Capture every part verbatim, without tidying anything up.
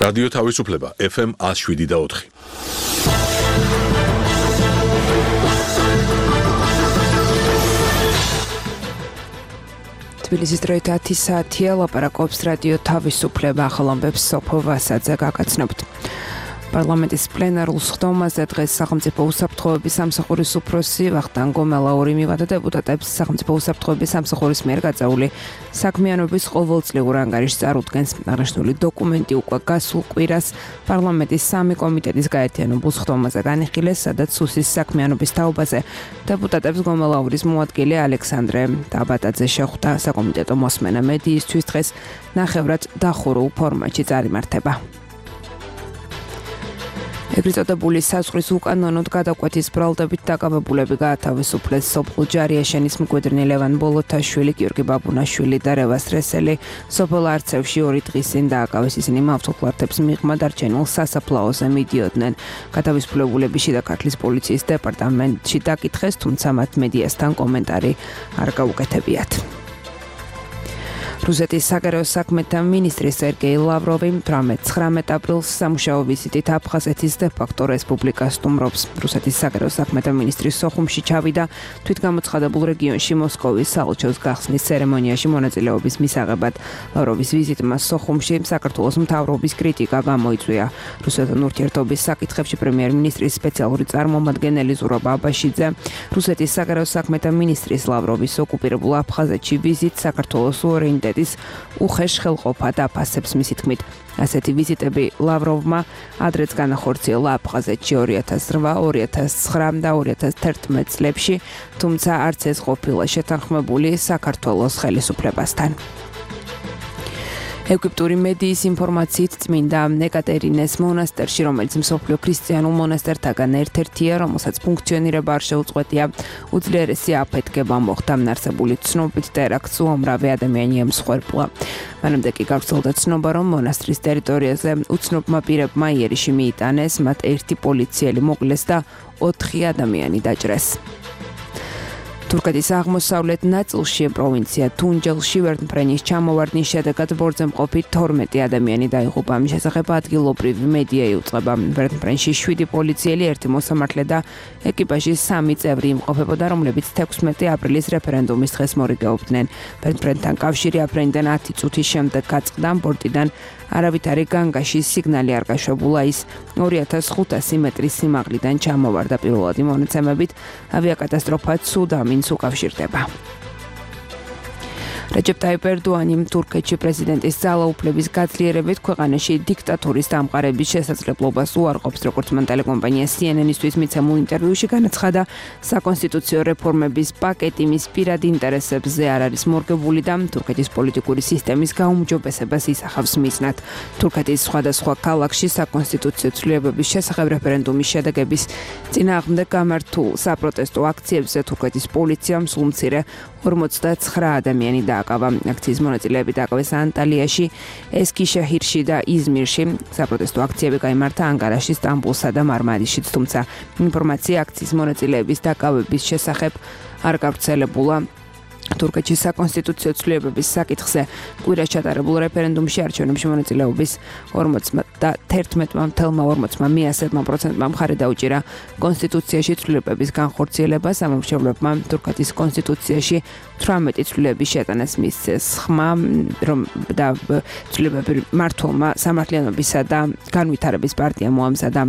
რადიო თავისუფლება ეფ ემ one oh seven და four. თბილისის დროით ათი საათია, ლაპარაკობს რადიო თავისუფლება, ახალამბებს სოფო ვასაძე გაგაცნობთ. პარლამენტის პლენარულ სხდომაზე დღეს სახელმწიფო უსაფრთხოების სამსახურის უფროსი ვახტანგ გომელაური მივადა დეპუტატებს სახელმწიფო უსაფრთხოების სამსახურის მიერ გაწეული საქმიანობის ყოველწლიურ ანგარიშს წარუდგენს. აღნიშნული დოკუმენტი უკვე გასულ კვირას პარლამენტის სამი კომიტეტის გაერთიანებულ სხდომაზე განიხილეს, სადაც სუსის საქმიანობის თაობაზე დეპუტატებს გომელაურის მოადგილე ალექსანდრე დაბატაძე შეხვდა. საკომიტეტო მოსმენა მედიისთვის დღეს ნახევრად დახურულ ფორმატში წარიმართება. ეგრეთ წოდებული საზღვრის უკანონოდ გადაკვეთის ბრალდებით დაკავებულები გაათავისუფლეს. სოფელ ჯარიაშენის მკვიდრნი ლევან ბოლოთაშვილი, გიორგი ბაბუნაშვილი და რევას რესელი სოფელ არცევში ორი დღის წინ დააკავეს. ისინი მავთულხლართებს მიღმა დარჩენილ სასაფლაოზე მიდიოდნენ. გათავისუფლებულები შიდა ქართლის პოლიციის დეპარტამენტში დაკითხეს, თუმცა მათ მედიასთან კომენტარი არ გაუკეთებიათ. რუსეთის საგარეო საქმეთა მინისტრი სერგეი ლავროვი თვრამეტ აპრილს სამუშაო ვიზიტით აფხაზეთის დე-ფაქტო რესპუბლიკას სტუმრობს. რუსეთის საგარეო საქმეთა მინისტრი სოხუმში ჩავიდა თვითგამოცხადებულ რეგიონში მოსკოვის საელჩოს გახსნის ცერემონიაში მონაწილეობის მისაღებად. ლავროვის ვიზიტმა სოხუმში საქართველოს მთავრობის კრიტიკა გამოიწვია. რუსეთთან ურთიერთობის საკითხებში პრემიერ-მინისტრის სპეციალური წარმომადგენელი ზურაბ აბაშიძე რუსეთის საგარეო საქმეთა მინისტრის ლავროვის ოკუპირებულ აფხაზეთში ვიზიტ საქართველოს უორიენტირებულ უხეშ ხელყოფა დაფასებს. მისი თქმით, ასეთი ვიზიტები ლავროვმა ადრეც განახორციელა აფხაზეთში ორი ათას რვა, ორი ათას ცხრა და ორი ათას თერთმეტ წლებში, თუმცა არც ეს ყოფილა შეთანხმებული საქართველოს ხელისუფლებასთან. ეგვიპტური მედიის ინფორმაციით წმინდა ეკატერინეს მონასტერში, რომელიც მსოფლიო ქრისტიანულ მონასტერთაგან ერთ-ერთია, რომელსაც ფუნქციონირება არ შეუწყვეტია, უძლიერესი აფეთქება მოხდა. არსებული ცნობით ტერაქტს უამრავი ადამიანი ემსხვერპლა. მანამდე კი გავრცელდა ცნობა, რომ მონასტრის ტერიტორიაზე უცნობმა პირებმა იერიში მიიტანეს, მათ ერთი პოლიციელი მოკლეს და ოთხი ადამიანი დაჭრეს. თურქეთის აღმოსავლეთ ნაწილში პროვინცია თუნჯელში ვერტმფრენის ჩამოვარდნის შედეგად ბორძემყოფი თორმეტი ადამიანი დაიღუპა. ამის შესახებ ადგილობრივი მედია იუწყება. ვერტმფრენში შვიდი პოლიციელი, ერთი მოსამართლე და ეკიპაჟის სამი წევრი იმყოფებოდა, რომლებიც თექვსმეტი აპრილის რეფერენდუმის დღეს მორიგეობდნენ. ვერტმფრენთან კავშირი აფრენიდან ათი წუთის შემდეგ გაწყდა. ბორტიდან არავითარი განგაში სიგნალი არ გაშვებულა. ის ორი ათას ხუთასი მეტრის სიმაღლიდან ჩამოვარდა. პირველადი მონაცემებით ავიაკატასტროფა ცუდ ამინს უკავშირდება. რეჯეპ ტაიპ ერდოანი თურქეთში პრეზიდენტის ძალაუფლების გაძლიერებით ქვეყანაში დიქტატურის დამყარების შესაძლებლობას უარყოფს. როგორც მან ტელეკომპანია სი ენ ენ-ისთვის მიცემულ ინტერვიუში განაცხადა, საკონსტიტუციო რეფორმების პაკეტი მის პირად ინტერესებზე არ არის მორგებული და თურქეთის პოლიტიკური სისტემის გაუმჯობესებას ისახავს მიზნად. თურქეთის სხვადასხვა ქალაქში საკონსტიტუციო ცვლილებების შესახებ რეფერენდუმის შედეგების წინააღმდეგ გამართულ საპროტესტო აქციებზე თურქეთის პოლიციამ სულ მცირე ორმოცდაცხრა ადამიანი დააკავა. აქციის მონაწილეები დააკავეს ანტალიაში, ესქიშეჰირში და იზმირში. საპროტესტო აქციები გაიმართა ანკარაში, სტამბულსა და მარმარიშიც, თუმცა ინფორმაცია აქციის მონაწილეების დაკავების შესახებ არ გავრცელებულა. თურქეთში საკონსტიტუციო ცვლილებების საკითხზე კვირას ჩატარებულ რეფერენდუმში არჩევნებში მონაწილეობის ორმოცდაათმა ორმოცმა მეათმა პროცენტმა მხარი დაუჭირა კონსტიტუციაში ცვლილებების განხორციელებას. სამომრჩევლებმა თურქეთის კონსტიტუციაში თვრამეტი ცვლილების შეტანას მისცეს. ხმა რომ და ცვლილებები მართლმა სამართლიანობისა და განვითარების პარტიამ მოამზადა,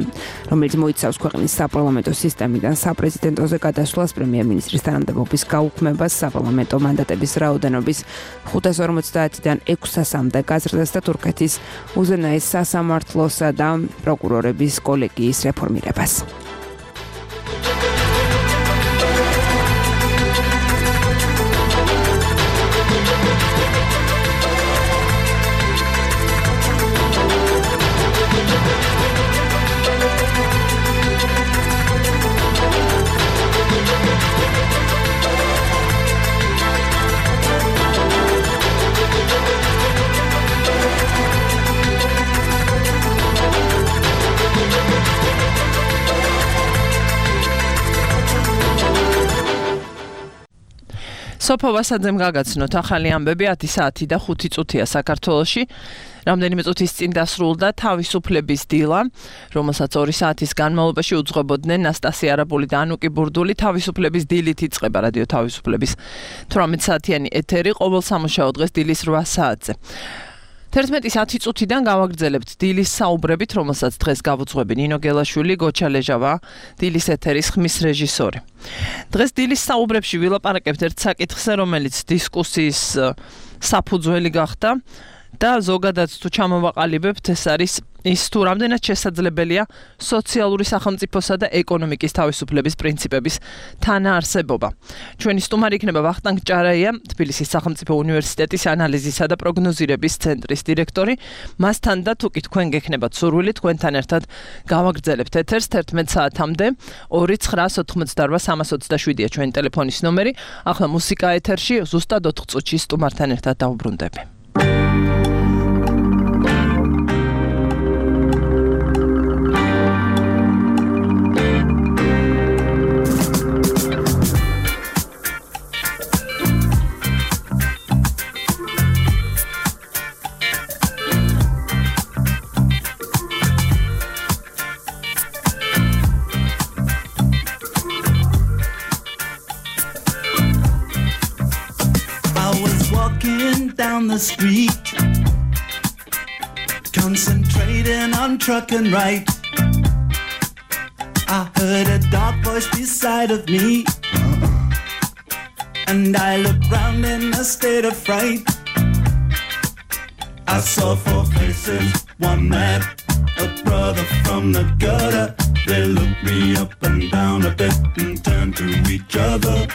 რომელიც მოიცავს ქვეყნის საპარლამენტო სისტემიდან საპრეზიდენტოზე გადასვლას, პრემიერ-მინისტრის თანამდებობის გაუქმებას, საპარლამენტო მანდატების რაოდენობის ხუთას ორმოცდაათიდან ექვსასამდე გაზრდას და თურქეთის უზენაეს სასამართლოსა და პროკურორების კოლეგიის რეფორმირებას. სოფო ვასაძემ გაგაცნოთ ახალი ამბები ათი საათი და ხუთი წუთია საქართველოში. რამდენიმე წუთის წინ დასრულდა თავისუფლების დილა, რომელსაც ორი საათის განმავლობაში უძღვებოდნენ ნასტასია არაბული და ანუკი ბურდული. თავისუფლების დილით იწყება რადიო თავისუფლების თვრამეტ საათიანი ეთერი ყოველ სამუშაო დღეს დილის რვა საათზე. თერთმეტის ათი წუთიდან გავაგრძელებთ დილის საუბრებით, რომელსაც დღეს გავუძღვები ნინო გელაშვილი, გოჩა ლეჟავა, დილის ეთერის ხმის რეჟისორი. დღეს დილის საუბრებში ვილაპარაკებთ ერთ საკითხზე, რომელიც დისკუსიის საფუძველი გახდა და ზოგადად თუ ჩამოვაყალიბებთ, ეს არის ის თუ რამდენად შესაძლებელია სოციალური სახელმწიფოსა და ეკონომიკის თავისუფლების პრინციპების თანაარსებობა. ჩვენი სტუმარი იქნება ვახტანგ ჭარაია, თბილისის სახელმწიფო უნივერსიტეტის ანალიზისა და პროგნოზირების ცენტრის დირექტორი. მასთან და თუ კი თქვენ გექნებათ სურვილი, თქვენთან ერთად გავაგრძელებთ ეთერს თერთმეტ საათამდე. ორი ცხრაას ოთხმოცდარვა სამას ოცდაშვიდია ჩვენი ტელეფონის ნომერი. ახლა მუსიკა ეთერში, ზუსტად ოთხ წუთში სტუმართან ერთად დავუბრუნდები. Down the street, concentrating on truck and right. I heard a dark voice beside of me, and I looked round in a state of fright. I saw four faces, one man, a brother from the gutter. They looked me up and down a bit and turned to each other.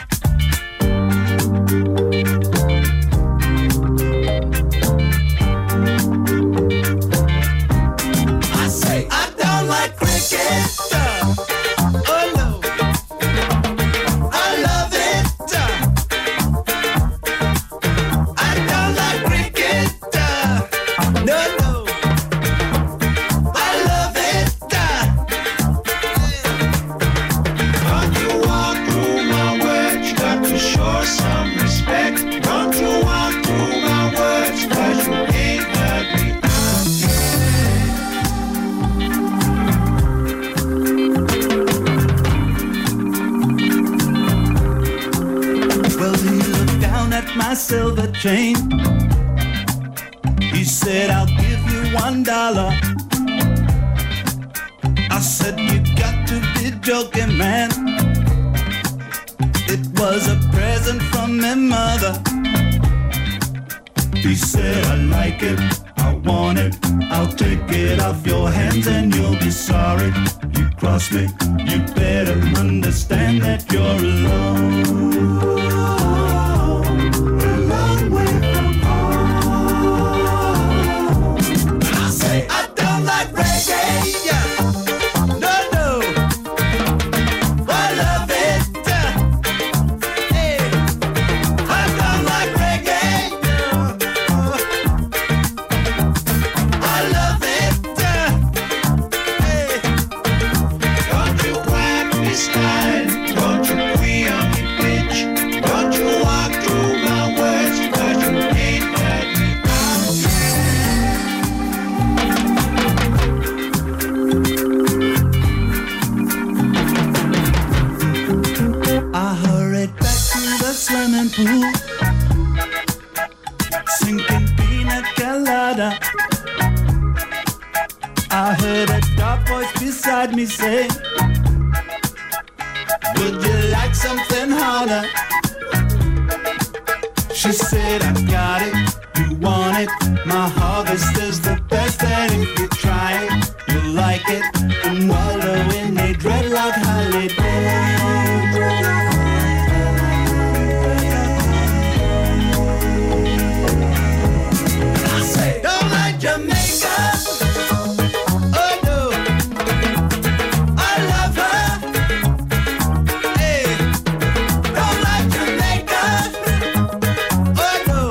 Silver chain. He said, I'll give you one dollar. I said, you got to be joking, man. It was a present from my mother. He said, I like it, I want it. I'll take it off your hands and you'll be sorry. You cross me, you better understand that you're alone. Sinking pina colada. I heard a dark voice beside me say, would you like something harder? She said, I got it, you want it. My harvest is the best, and if you try it, you'll like it. And wallow in a dreadlock holiday. Jamaica, oh no, I love her. Hey, don't like Jamaica, oh no.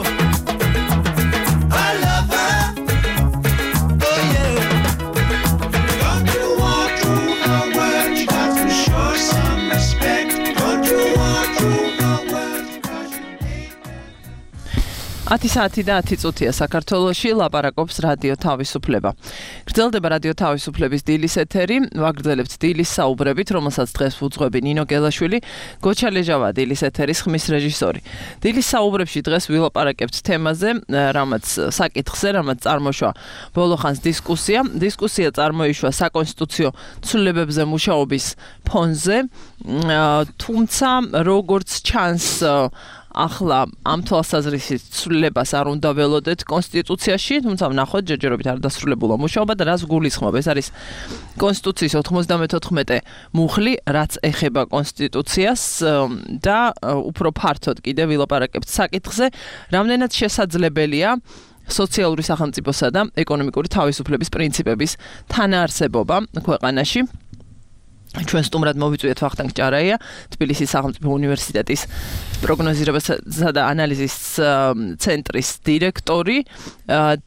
ათი საათი და ათი წუთია საქართველოში ლაპარაკობს რადიო თავისუფლება. გრძელდება რადიო თავისუფლების დილის ეთერი, ვაგრძელებთ დილის საუბრებით, რომელსაც დღეს უძღვები ნინო გელაშვილი, გოჩა ლეჟავა დილის ეთერის ხმის რეჟისორი. დილის საუბრებში დღეს ვილაპარაკებთ თემაზე, რამაც საკითხზე, რამაც წარმოშვა ბოლოხანს დისკუსია. დისკუსია წარმოიშვა საკონსტიტუციო ცვლილებებზე მუშაობის ფონზე, თუმცა როგორც ჩანს ახლა ამ თვალსაზრისით ცვლილებას არ უნდა ველოდეთ კონსტიტუციაში, თუმცა ვნახოთ ჯერჯერობით არ დასრულებულა მუშაობა და რას გულისხმობ. ეს არის კონსტიტუციის ოთხმოცდამეთოთხმეტე მუხლი, რაც ეხება კონსტიტუციას და უფრო ფართოდ კიდე ვილაპარაკებთ საკითხზე, რამდენად შესაძლებელია სოციალური სახელმწიფოსა და ეკონომიკური თავისუფლების პრინციპების თანაარსებობა ქვეყანაში. ჩვენ სტუმრად მოვიწვიეთ ვახტანგ ჭარაია, თბილისის სახელმწიფო უნივერსიტეტის პროგნოზირებასა და ანალიზის ცენტრის დირექტორი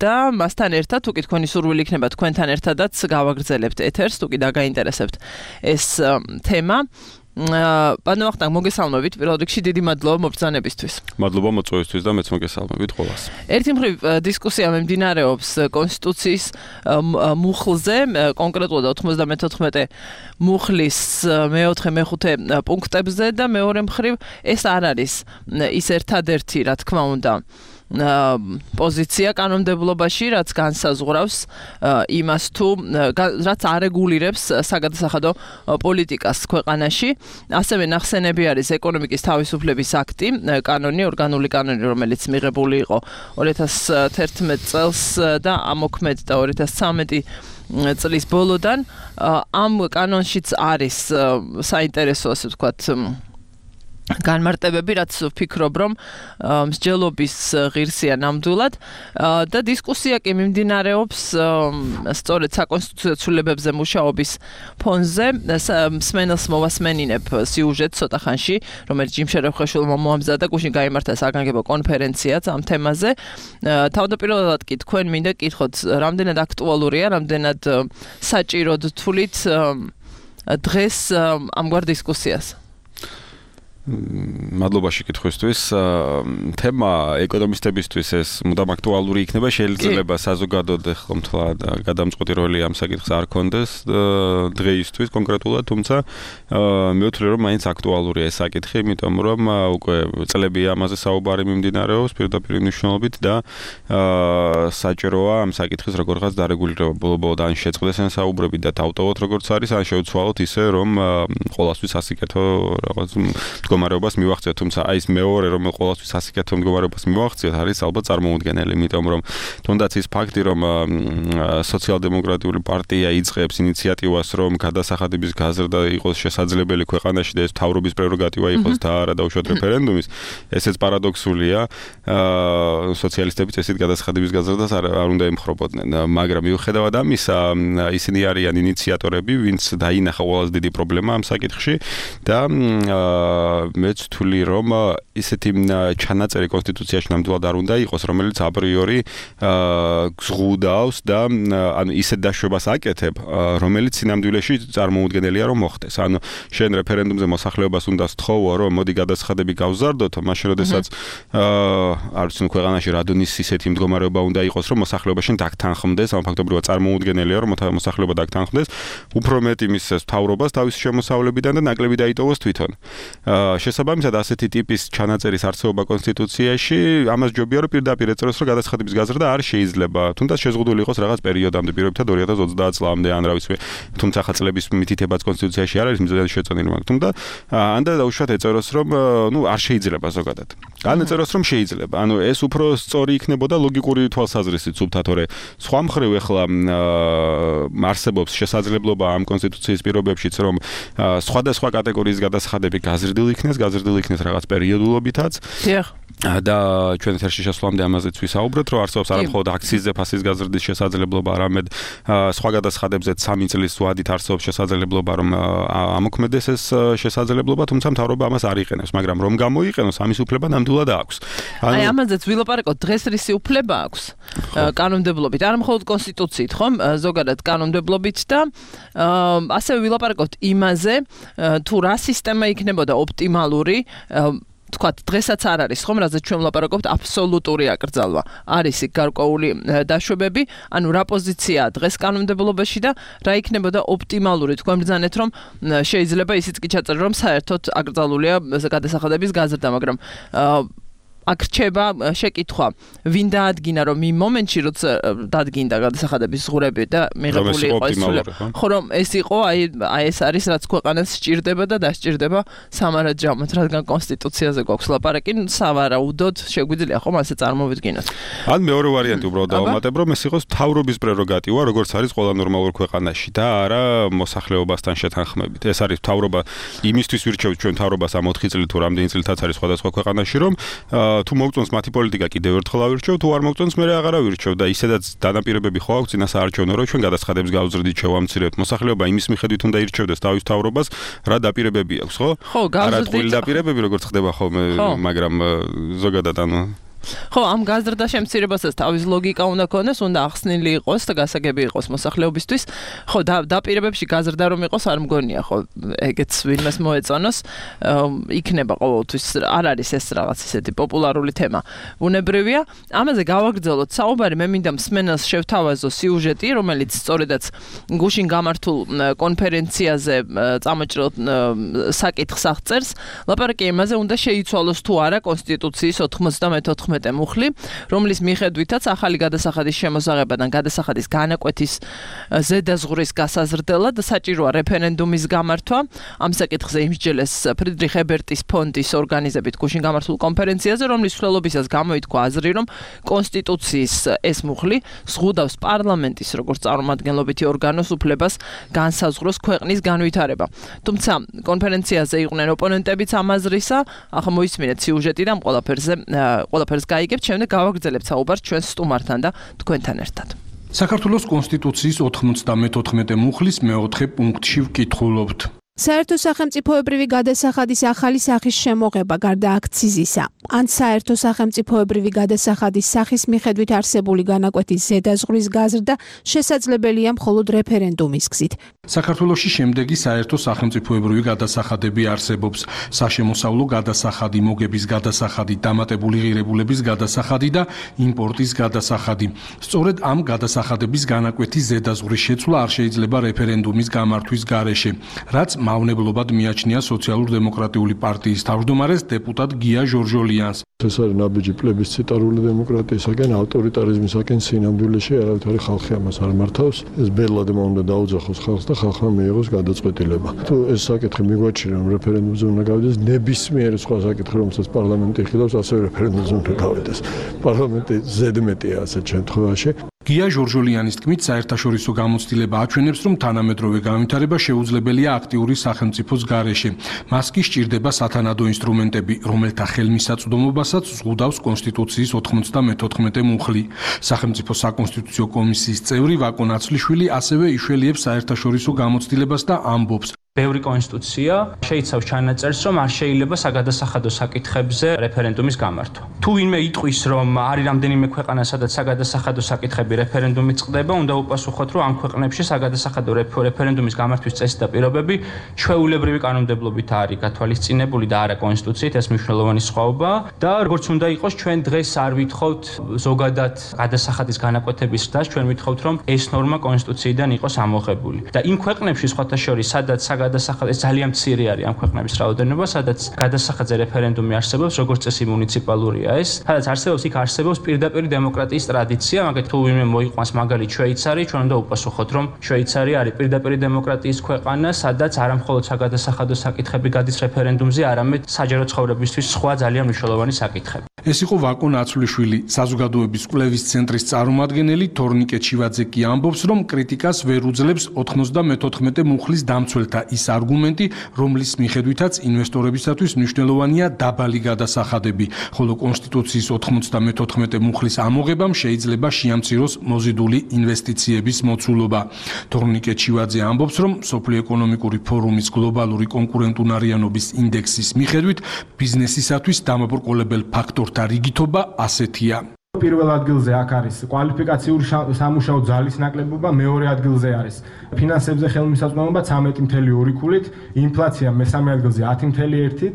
და მასთან ერთად, თუკი თქვენი სურვილი იქნება თქვენთან ერთადაც გავაგრძელებთ ეთერს, თუკი დაგაინტერესებთ ეს თემა. ბატონო ვახტანგ, მოგესალმებით, პირველ რიგში დიდი მადლობა მობრძანებისთვის. მადლობა მოწვევისთვის და მეც მოგესალმებით ყველას. ერთი მხრივ დისკუსია მიმდინარეობს კონსტიტუციის მუხლზე, კონკრეტულად ოთხმოცდამეთოთხმეტე მუხლის მეოთხე მეხუთე პუნქტებზე და მეორე მხრივ ეს არ არის ის ერთადერთი, რა თქმა უნდა, პოზიცია კანონმდებლობაში, რაც განსაზღვრავს იმას თუ რაც არეგულირებს საგადასახადო პოლიტიკას ქვეყანაში. ასევე ნახსენები არის ეკონომიკის თავისუფლების აქტი, კანონი, ორგანული კანონი, რომელიც მიღებული იყო ორი ათას თერთმეტ წელს და ამოქმედდა ორი ათას ცხრამეტი წლის ბოლოდან. ამ კანონშიც არის საინტერესო, ასე ვთქვათ, განმარტებები, რაც ვფიქრობ, რომ მსჯელობის ღირსია ნამდვილად და დისკუსია კი მიმდინარეობს სწორედ საკონსტიტუციო ცვლილებებზე მუშაობის ფონზე. მსმენელს მოვასმენინებ სიუჟეტს ცოტა ხანში, რომელიც ჯიმშე რევხაშვილმა მოამზადა, გუშინ გაიმართა საგანგებო კონფერენციაც ამ თემაზე. თავდაპირველად კი თქვენ მინდა კითხოთ, რამდენად აქტუალურია, რამდენად საჭიროდ თვლით დღეს ამგვარ დისკუსიას. მადლობა შეკითხვისთვის. თემა ეკონომისტებისთვის ეს მუდამ აქტუალური იქნება, შეიძლება საზოგადოდ ხომთლად გადამწყვეტი როლი ამ საკითხს არ ქონდეს დღეისთვის კონკრეტულად, თუმცა მე ვთვლი, რომ მაინც აქტუალურია ეს საკითხი, იმიტომ რომ უკვე წლებია ამაზე საუბარი მიმდინარეობს პირდაპირ მნიშვნელობით და საჭიროა ამ საკითხის როგორღაც დარეგულირება ბოლო-ბოლოდ ან შეწყდეს ან საუბრები და დავტოვოთ როგორც არის, ან შევცვალოთ ისე, რომ ყოველთვის ასიკეთო რაღაც მდგომარეობას მივახციოთ, თუმცა აი ეს მეორე, რომ ყოველთვის ასიკეთო მდგომარეობას მივახციოთ, არის ალბათ წარმოუდგენელი, იმიტომ რომ თუნდაც ის ფაქტი, რომ სოციალ-დემოკრატიული პარტია იწყებს ინიციატივას, რომ გადასახადების გაზრდა იყოს შესაძლებელი ქვეყანაში და ეს მთავრობის პრეროგატივა იყოს და არა დაუშვათ რეფერენდუმის, ესეც პარადოქსულია. სოციალისტებიც ესეთ გადასახადების გაზრდას არ უნდა ემხრობოდნენ, მაგრამ მიუხედავად ამისა, ისინი არიან ინიციატორები, ვინც დაინახა ყველაზე დიდი პრობლემა ამ საკითხში და მეც ვთვლი, რომ ისეთი ჩანაწერი კონსტიტუციაში ნამდვილად არ უნდა იყოს, რომელიც აპრიორი გზღუდავს და ანუ ისეთ დაშვებას აკეთებ, რომელიც სინამდვილეში წარმოუდგენელია რომ მოხდეს. ანუ შენ რეფერენდუმზე მოსახლეობას უნდა სთხოვო, რომ მოდი გადასახადები გავზარდოთ, მაშინ როდესაც არ ვიცი, ქვეყანაში რადონის ისეთი მდგომარეობა უნდა იყოს, რომ მოსახლეობა შენ დაგთანხმდეს, ანუ ფაქტობრივად წარმოუდგენელია, რომ მოსახლეობა დაგთანხმდეს, უფრო მეტი მისცეს მთავრობას თავისი შემოსავლებიდან და ნაკლები დაიტოვოს თვითონ. შესაბამისად ასეთი ტიპის ჩანაწერის არსებობა კონსტიტუციაში ამას ჯობია რომ პირდაპირ ეწროს რომ გადასახადების გაზრდა არ შეიძლება, თუნდაც შეზღუდული იყოს რაღაც პერიოდამდე, პირობითად ორი ათას ოცდაათ წლამდე ან რა ვიცი, თუმცა ხა წლების მითითებაც კონსტიტუციაში არ არის მიზანი შეწონილი, მაგრამ თუმცა ან და დაუშვათ ეწროს რომ ნუ არ შეიძლება ზოგადად. ან ეწროს რომ შეიძლება. ანუ ეს უფრო სწორი იქნებოდა ლოგიკური თვალსაზრისით სულთა, თორე სხვა მხრივ ეხლა არსებობს შესაძლებლობა ამ კონსტიტუციის პირობებშიც რომ სხვადასხვა კატეგორიის გადასახადები გაზრდილ იქნეს, გაზრდილ იქნეს რაღაც პერიოდულობითაც. დიახ. და ჩვენ ეთერში შესვლამდე ამაზეც ვისაუბრეთ, რომ არსებობს არა მხოლოდ აქციის ზეფასის გაზრდის შესაძლებლობა, არამედ სხვა გადასახადებზეც სამი წლის ვადით არსებობს შესაძლებლობა, რომ ამოქმედეს ეს შესაძლებლობა, თუმცა მთავრობა ამას არ იყენებს, მაგრამ რომ გამოიყენოს, ამის უფლება ნამდვილად აქვს. აი ამაზეც ვილაპარაკოთ, დღეს რისი უფლება აქვს კანონმდებლობით, არა მხოლოდ კონსტიტუციით, ხომ? ზოგადად კანონმდებლობით და ასევე ვილაპარაკოთ იმაზე, თუ რა სისტემა იქნებოდა ოპტიმალური თქვათ, დღესაც არ არის ხომ, რაზეც ჩვენ ვლაპარაკობთ, აბსოლუტური აკრძალვა. არის იქ გარკვეული დაშვებები, ანუ რა პოზიციაა დღეს კანონმდებლობაში და რა იქნებოდა ოპტიმალური თქვენ ბრძანეთ, რომ შეიძლება ისიც კი ჩაწერო, რომ საერთოდ აკრძალულია გადასახადების გაზრდა, მაგრამ აქ რჩება შეკითხვა, ვინ დაადგინა, რომ იმ მომენტში, როცა დადგინდა გადასახადების ზღურები და მიღებული იყო ეს ხო, რომ ეს იყო, აი აი ეს არის, რაც ქვეყანას სჭირდება და დასჭირდება სამარაჯამოდ, რადგან კონსტიტუციაზე გვაქვს ლაპარაკი, სავარაუდოდ შეგვიძლია ხომ ასე წარმოვიდგინოთ. ან მეორე ვარიანტი უბრალოდ დავამატებ, რომ ეს იყოს მთავრობის პრეროგატივა, როგორც არის ყველა ნორმალურ ქვეყანაში და არა მოსახლეობასთან შეთანხმებით. ეს არის მთავრობა იმისთვის ვირჩევთ ჩვენ მთავრობას ამ ოთხი წელი თუ რამდენი წელიწადიც არის სხვადასხვა ქვეყანაში, რომ თუ მოგწონს მათი პოლიტიკა კიდევ ერთხელ ავირჩევ, თუ არ მოგწონს მე აღარ ავირჩევ და ისედაც დანაპირებები ხო აქვს წინასაარჩევნო, რომ ჩვენ გადასახადებს გავზრდით, შევამცირებთ. მოსახლეობა იმის მიხედვით უნდა ირჩევდეს თავის მთავრობას, რა დაპირებები აქვს, ხო? ხო, გავზრდით. რა დაპირებები როგორც ხდება ხოლმე, მაგრამ ზოგადად ანუ ხო, ამ გაზრდა შემცირებასაც თავის ლოგიკა უნდა ქონდეს, უნდა ახსნილი იყოს და გასაგები იყოს მოსახლეობისთვის. ხო, დაპირებებში გაზრდა რომ იყოს, არ მგონია, ხო, ეგეც ვინმეს მოეწონოს, იქნება ყოველთვის, არ არის ეს რაღაც ისეთი პოპულარული თემა. ბუნებრივია, ამაზე გავაგრძელოთ საუბარი, მე მინდა მსმენელს შევთავაზო სიუჟეტი, რომელიც სწორედაც გუშინ გამართულ კონფერენციაზე წამოჭრილ საკითხს აღწერს. ლაპარაკი იმაზე, უნდა შეიცვალოს თუ არა კონსტიტუციის ოთხმოცდამეთოთხმეტე მუხლი, რომლის მიხედვითაც ახალი გადასახადის შემოსაღებიდან გადასახადის განაკვეთის ზედაზღურის გასაზრდელად საჭიროა რეფერენდუმის გამართვა. ამ საკითხზე იმსჯელეს ფრიდრიხ ებერტის ფონდის ორგანიზებით გუშინ გამართულ კონფერენციაზე, რომლის მსვლელობისას გამოითქვა აზრი, რომ კონსტიტუციის ეს მუხლი ზღუდავს პარლამენტის როგორც წარმომადგენლობითი ორგანოს უფლებას განსაზღვროს ქვეყნის განვითარება. თუმცა კონფერენციაზე იყვნენ ოპონენტებიც ამ აზრისა, ახლა მოისმინეთ სიუჟეტი და ამ ყველაფერზე ყველაფერს გაიგებთ, შემდეგ გავაგრძელებთ საუბარს ჩვენ სტუმართან და თქვენთან ერთად. საქართველოს კონსტიტუციის ოთხმოცდამეთოთხმეტე მუხლის მეოთხე პუნქტში ვკითხულობთ. საერთო სახელმწიფოებრივი გადასახადის ახალი სახის შემოღება გარდა აქციზისა, ან საერთო სახელმწიფოებრივი გადასახადის სახის მიხედვით არსებული განაკვეთის ზედაზღვრის გაზრდა შესაძლებელია მხოლოდ რეფერენდუმის გზით. საქართველოში შემდეგი საერთო სახელმწიფოებრივი გადასახადები არსებობს: საშემოსავლო გადასახადი, მოგების გადასახადი, დამატებული ღირებულების გადასახადი და იმპორტის გადასახადი. სწორედ ამ გადასახადების განაკვეთის ზედაზღვრის შეცვლა არ შეიძლება რეფერენდუმის გამართვის გარეშე, რაც მავნებლობად მიაჩნია სოციალურ-დემოკრატიული პარტიის თავმჯდომარეს დეპუტატ გია ჟორჟოლიანს. ეს არის ნაბიჯი პლებისციტარული დემოკრატიისაგან, ავტორიტარიზმისაგან, სინამდვილეში არავითარი ხალხი ამას არ მართავს. ეს ბელად უნდა დაუძახოს ხალხს და ხალხმა მიიღოს გადაწყვეტილება. თუ ეს საკითხი მიგვაჩნია, რომ რეფერენდუმზე უნდა გავიდეს, ნებისმიერი სხვა საკითხი, რომელსაც პარლამენტი იხილავს, ასევე რეფერენდუმზე უნდა გავიდეს. პარლამენტი ზედმეტია ასეთ შემთხვევაში. გია ჟორჟოლიანის თქმით, საერთაშორისო გამოცდილება აჩვენებს, რომ თანამედროვე განვითარება შეუძლებელია აქტიური სახელმწიფოს გარეშე. მას კი სჭირდება სათანადო ინსტრუმენტები, რომელთა ხელმისაწვდომობასაც ზღუდავს კონსტიტუციის ოთხმოცდამეთოთხმეტე მუხლი. სახელმწიფო საკონსტიტუციო კომისიის წევრი ვაკო ნაცვლიშვილი ასევე იშველიებს საერთაშორისო გამოცდილებას და ამბობს: ბევრი კონსტიტუცია შეიცავს ჩანაწერს, რომ არ შეიძლება საგადასახადო საკითხებზე რეფერენდუმის გამართვა. თუ ვინმე იტყვის, რომ არის რამდენიმე ქვეყანა, სადაც საგადასახადო საკითხები რეფერენდუმით წყდება, უნდა უპასუხოთ, რომ ამ ქვეყნებში საგადასახადო რეფერენდუმის გამართვის წესი და პირობები ჩვეულებრივი კანონმდებლობით არის გათვალისწინებული და არა კონსტიტუციით, ეს მნიშვნელოვანი სხვაობაა და როგორც უნდა იყოს, ჩვენ დღეს არ ვითხოვთ ზოგადად გადასახადის განაკვეთების ზრდას, ჩვენ ვითხოვთ, რომ ეს ნორმა კონსტიტუციიდან იყოს ამოღებული. და იმ ქვეყნებში სხვათა შორის, სადაც გადასახადი ძალიან მცირე არის ამ ქვეყნების რაოდენობა, სადაც გადასახადზე რეფერენდუმი არსებობს, როგორც წესი მუნიციპალურია ეს, სადაც არსებობს იქ არსებობს პირდაპირ დემოკრატიის ტრადიცია, მაგალითად თუ ვინმე მოიყვანს მაგალითად შვეიცარი, ჩვენ უნდა უპასუხოთ, რომ შვეიცარი არის პირდაპირ დემოკრატიის ქვეყანა, სადაც არა მხოლოდ საგადასახადო საკითხები გადის რეფერენდუმზე, არამედ საჯარო ცხოვრებისთვის სხვა ძალიან მნიშვნელოვანი საკითხები. ეს იყო ვაკო ნაცვლიშვილი, საზოგადოების კვლევის ცენტრის წარმომადგენელი. თორნიკე ჩივაძე კი ამბობს, რომ კრიტიკას ვერ უძლებს ოთხმოცდამეთოთხმეტე მუხლის დამცველთა ის არგუმენტი, რომლის მიხედვითაც ინვესტორებისათვის მნიშვნელოვანია დაბალი გადასახადები, ხოლო კონსტიტუციის ოთხმოცდამეთოთხმეტე მუხლის ამოღებამ შეიძლება შეამციროს მოზიდული ინვესტიციების მოცულობა. თორნიკე ჩივაძე ამბობს, რომ მსოფლიო ეკონომიკური ფორუმის გლობალური კონკურენტუნარიანობის ინდექსის მიხედვით ბიზნესისათვის დამაბრკოლებელ ფაქტორთა რიგითობა ასეთია. პირველ ადგილზე აქ არის კვალიფიკაციური სამუშაო ძალის ნაკლებობა, მეორე ადგილზე არის ფინანსებზე ხელმისაწვდომობა ცამეტი ფاصლე ორი ქულით, ინფლაცია მესამე ადგილზე ათი ფاصლე ერთი,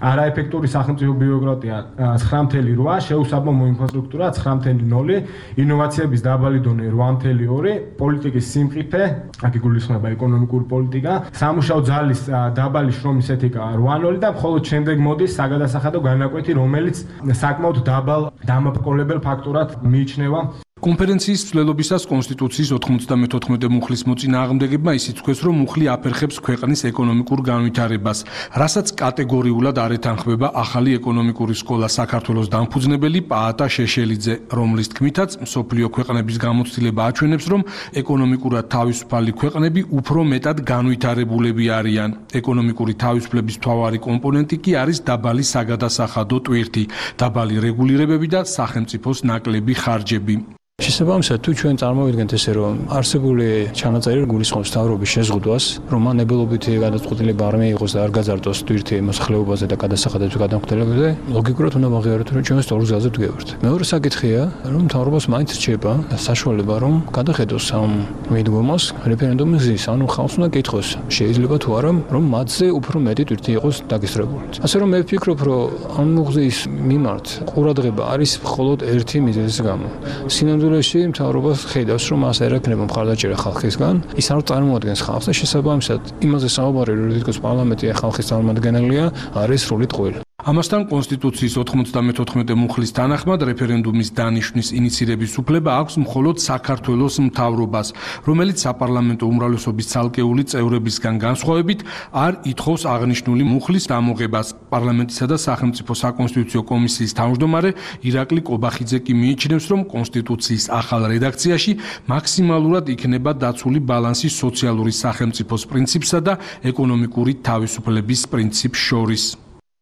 არაეფექტური სახელმწიფო ბიუროკრატია ცხრა ფاصლე რვა, შეუსაბამო ინფრასტრუქტურა ცხრა ფاصლე ნული, ინოვაციების დაბალი დონე რვა ფاصლე ორი, პოლიტიკის სიმყიფე, აქ იგულისხმება ეკონომიკური პოლიტიკა, სამუშაო ძალის დაბალი შრომის ეთიკა რვა ნული და მხოლოდ შემდეგ მოდის საგადასახადო განაკვეთი, რომელიც საკმაოდ დაბალ დამაბრკოლებელ ფაქტორად მიიჩნევა. კონფერენციის ცვლილობისას კონსტიტუციის ოთხმოცდამეთოთხმეტე მუხლის მოწინააღმდეგებმა ისიც თქვეს, რომ მუხლი აფერხებს ქვეყნის ეკონომიკურ განვითარებას, რასაც კატეგორიულად არ ეთანხმება ახალი ეკონომიკური სკოლა საქართველოს დამფუძნებელი პაატა შეშელიძე, რომლის თქმითაც მსოფლიო ქვეყნების გამოცდილება აჩვენებს, რომ ეკონომიკურად თავისუფალი ქვეყნები უფრო მეტად განვითარებულები არიან. ეკონომიკური თავისუფლების მთავარი კომპონენტი კი არის დაბალი საგადასახადო ტვირთი, დაბალი რეგულირებები და სახელმწიფოს ნაკლები ხარჯები. შესაბამისად, თუ ჩვენ წარმოვიდგენთ ესე, რომ არსებული ჩანაწერი გულისხმობს მთავრობის შეზღუდვას, რომ მან ნებელობითი გადაწყვეტილება არ მიიღოს და არ გაძარდოს ტვირთი მოსახლეობაზე და გადასახადებზე გადამხდელებზე, ლოგიკურად უნდა ვაღიაროთ, რომ ჩვენ სწორ გზაზე ვდგევართ. მეორე საკითხია, რომ მთავრობას მაინც რჩება საშუალება, რომ გადახედოს ამ მიდგომას რეფერენდუმის გზის, ანუ ხალხს უნდა კითხოს, შეიძლება თუ არა, რომ მათზე უფრო მეტი ტვირთი იყოს დაგესწრებული. ასე რომ მე ვფიქრობ, რომ ამ მუხლის მიმართ ყურადღება არის მხოლოდ ერთი მიზეზის გამო. სინამდვილეში მთავრობას ხედავს, რომ მას არ ექნება მხარდაჭერა ხალხისგან, ის არ წარმოადგენს ხალხს და შესაბამისად იმაზე საუბარი, რომ თითქოს პარლამენტი ხალხის წარმომადგენელია, არის სრული ტყუილი. ამასთან კონსტიტუციის ოთხმოცდამეთოთხმეტე მუხლის თანახმად რეფერენდუმის დანიშვნის ინიცირების უფლება აქვს მხოლოდ საქართველოს მთავრობას, რომელიც საპარლამენტო უმრავლესობის ცალკეული წევრებისგან განსხვავებით არ ითხოვს აღნიშნული მუხლის დამოღებას. პარლამენტისა და სახელმწიფო საკონსტიტუციო კომისიის თავმჯდომარე ირაკლი კობახიძე კი მიიჩნევს, რომ კონსტიტუციის ახალ რედაქციაში მაქსიმალურად იქნება დაცული ბალანსი სოციალური სახელმწიფოს პრინციპსა და ეკონომიკური თავისუფლების პრინციპს შორის.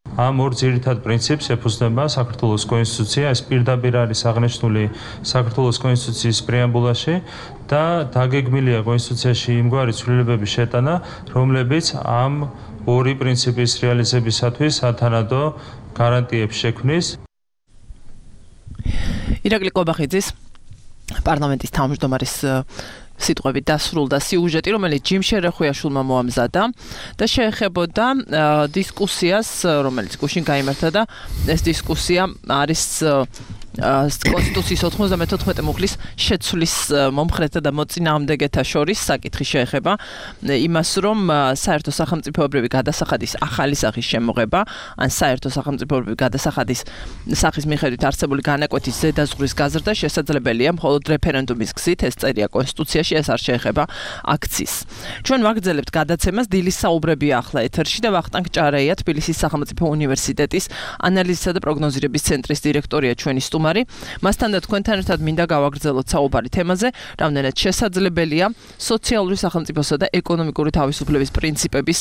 ამ ორ ძირითად პრინციპს ეფუძნება საქართველოს კონსტიტუცია, ეს პირდაპირ არის აღნიშნული საქართველოს კონსტიტუციის პრეამბულაში და დაგეგმილია კონსტიტუციაში იმგვარი ცვლილებების შეტანა, რომლებიც ამ ორი პრინციპის რეალიზებისათვის სათანადო გარანტიებს შექმნის. ირაკლი კობახიძის პარლამენტის თავმჯდომარის სიტყვები დასრულდა სიუჟეტი, რომელიც ჯიმ შერეხუიაშვილმა მოამზადა და შეეხებოდა დისკუსიას, რომელიც გუშინ გაიმართა და ეს დისკუსია არის კონსტიტუციის ოთხმოცდამეთოთხმეტე მუხლის შეცვლის მომხრეთა და მოწინააღმდეგეთა შორის საკითხი შეეხება იმას, რომ საერთო სახელმწიფოებრივი გადასახადის ახალი სახის შემოღება, ან საერთო სახელმწიფოებრივი გადასახადის სახის მიხედვით არსებული განაკვეთის ზედაზღვრის გაზრდა შესაძლებელია მხოლოდ რეფერენდუმის გზით, ეს წერია კონსტიტუციაში, ეს არ შეეხება აქციის. ჩვენ ვაგრძელებთ გადაცემას, დილის საუბრებია ახლა ეთერში და ვახტანგ ჭარეია, თბილისის სახელმწიფო უნივერსიტეტის ანალიზისა და პროგნოზირების ცენტრის დირექტორია ჩვენი სტუმარი. მასთან და თქვენთან ერთად მინდა გავაგრძელოთ საუბარი თემაზე, რამდენად შესაძლებელია სოციალური სახელმწიფოსა და ეკონომიკური თავისუფლების პრინციპების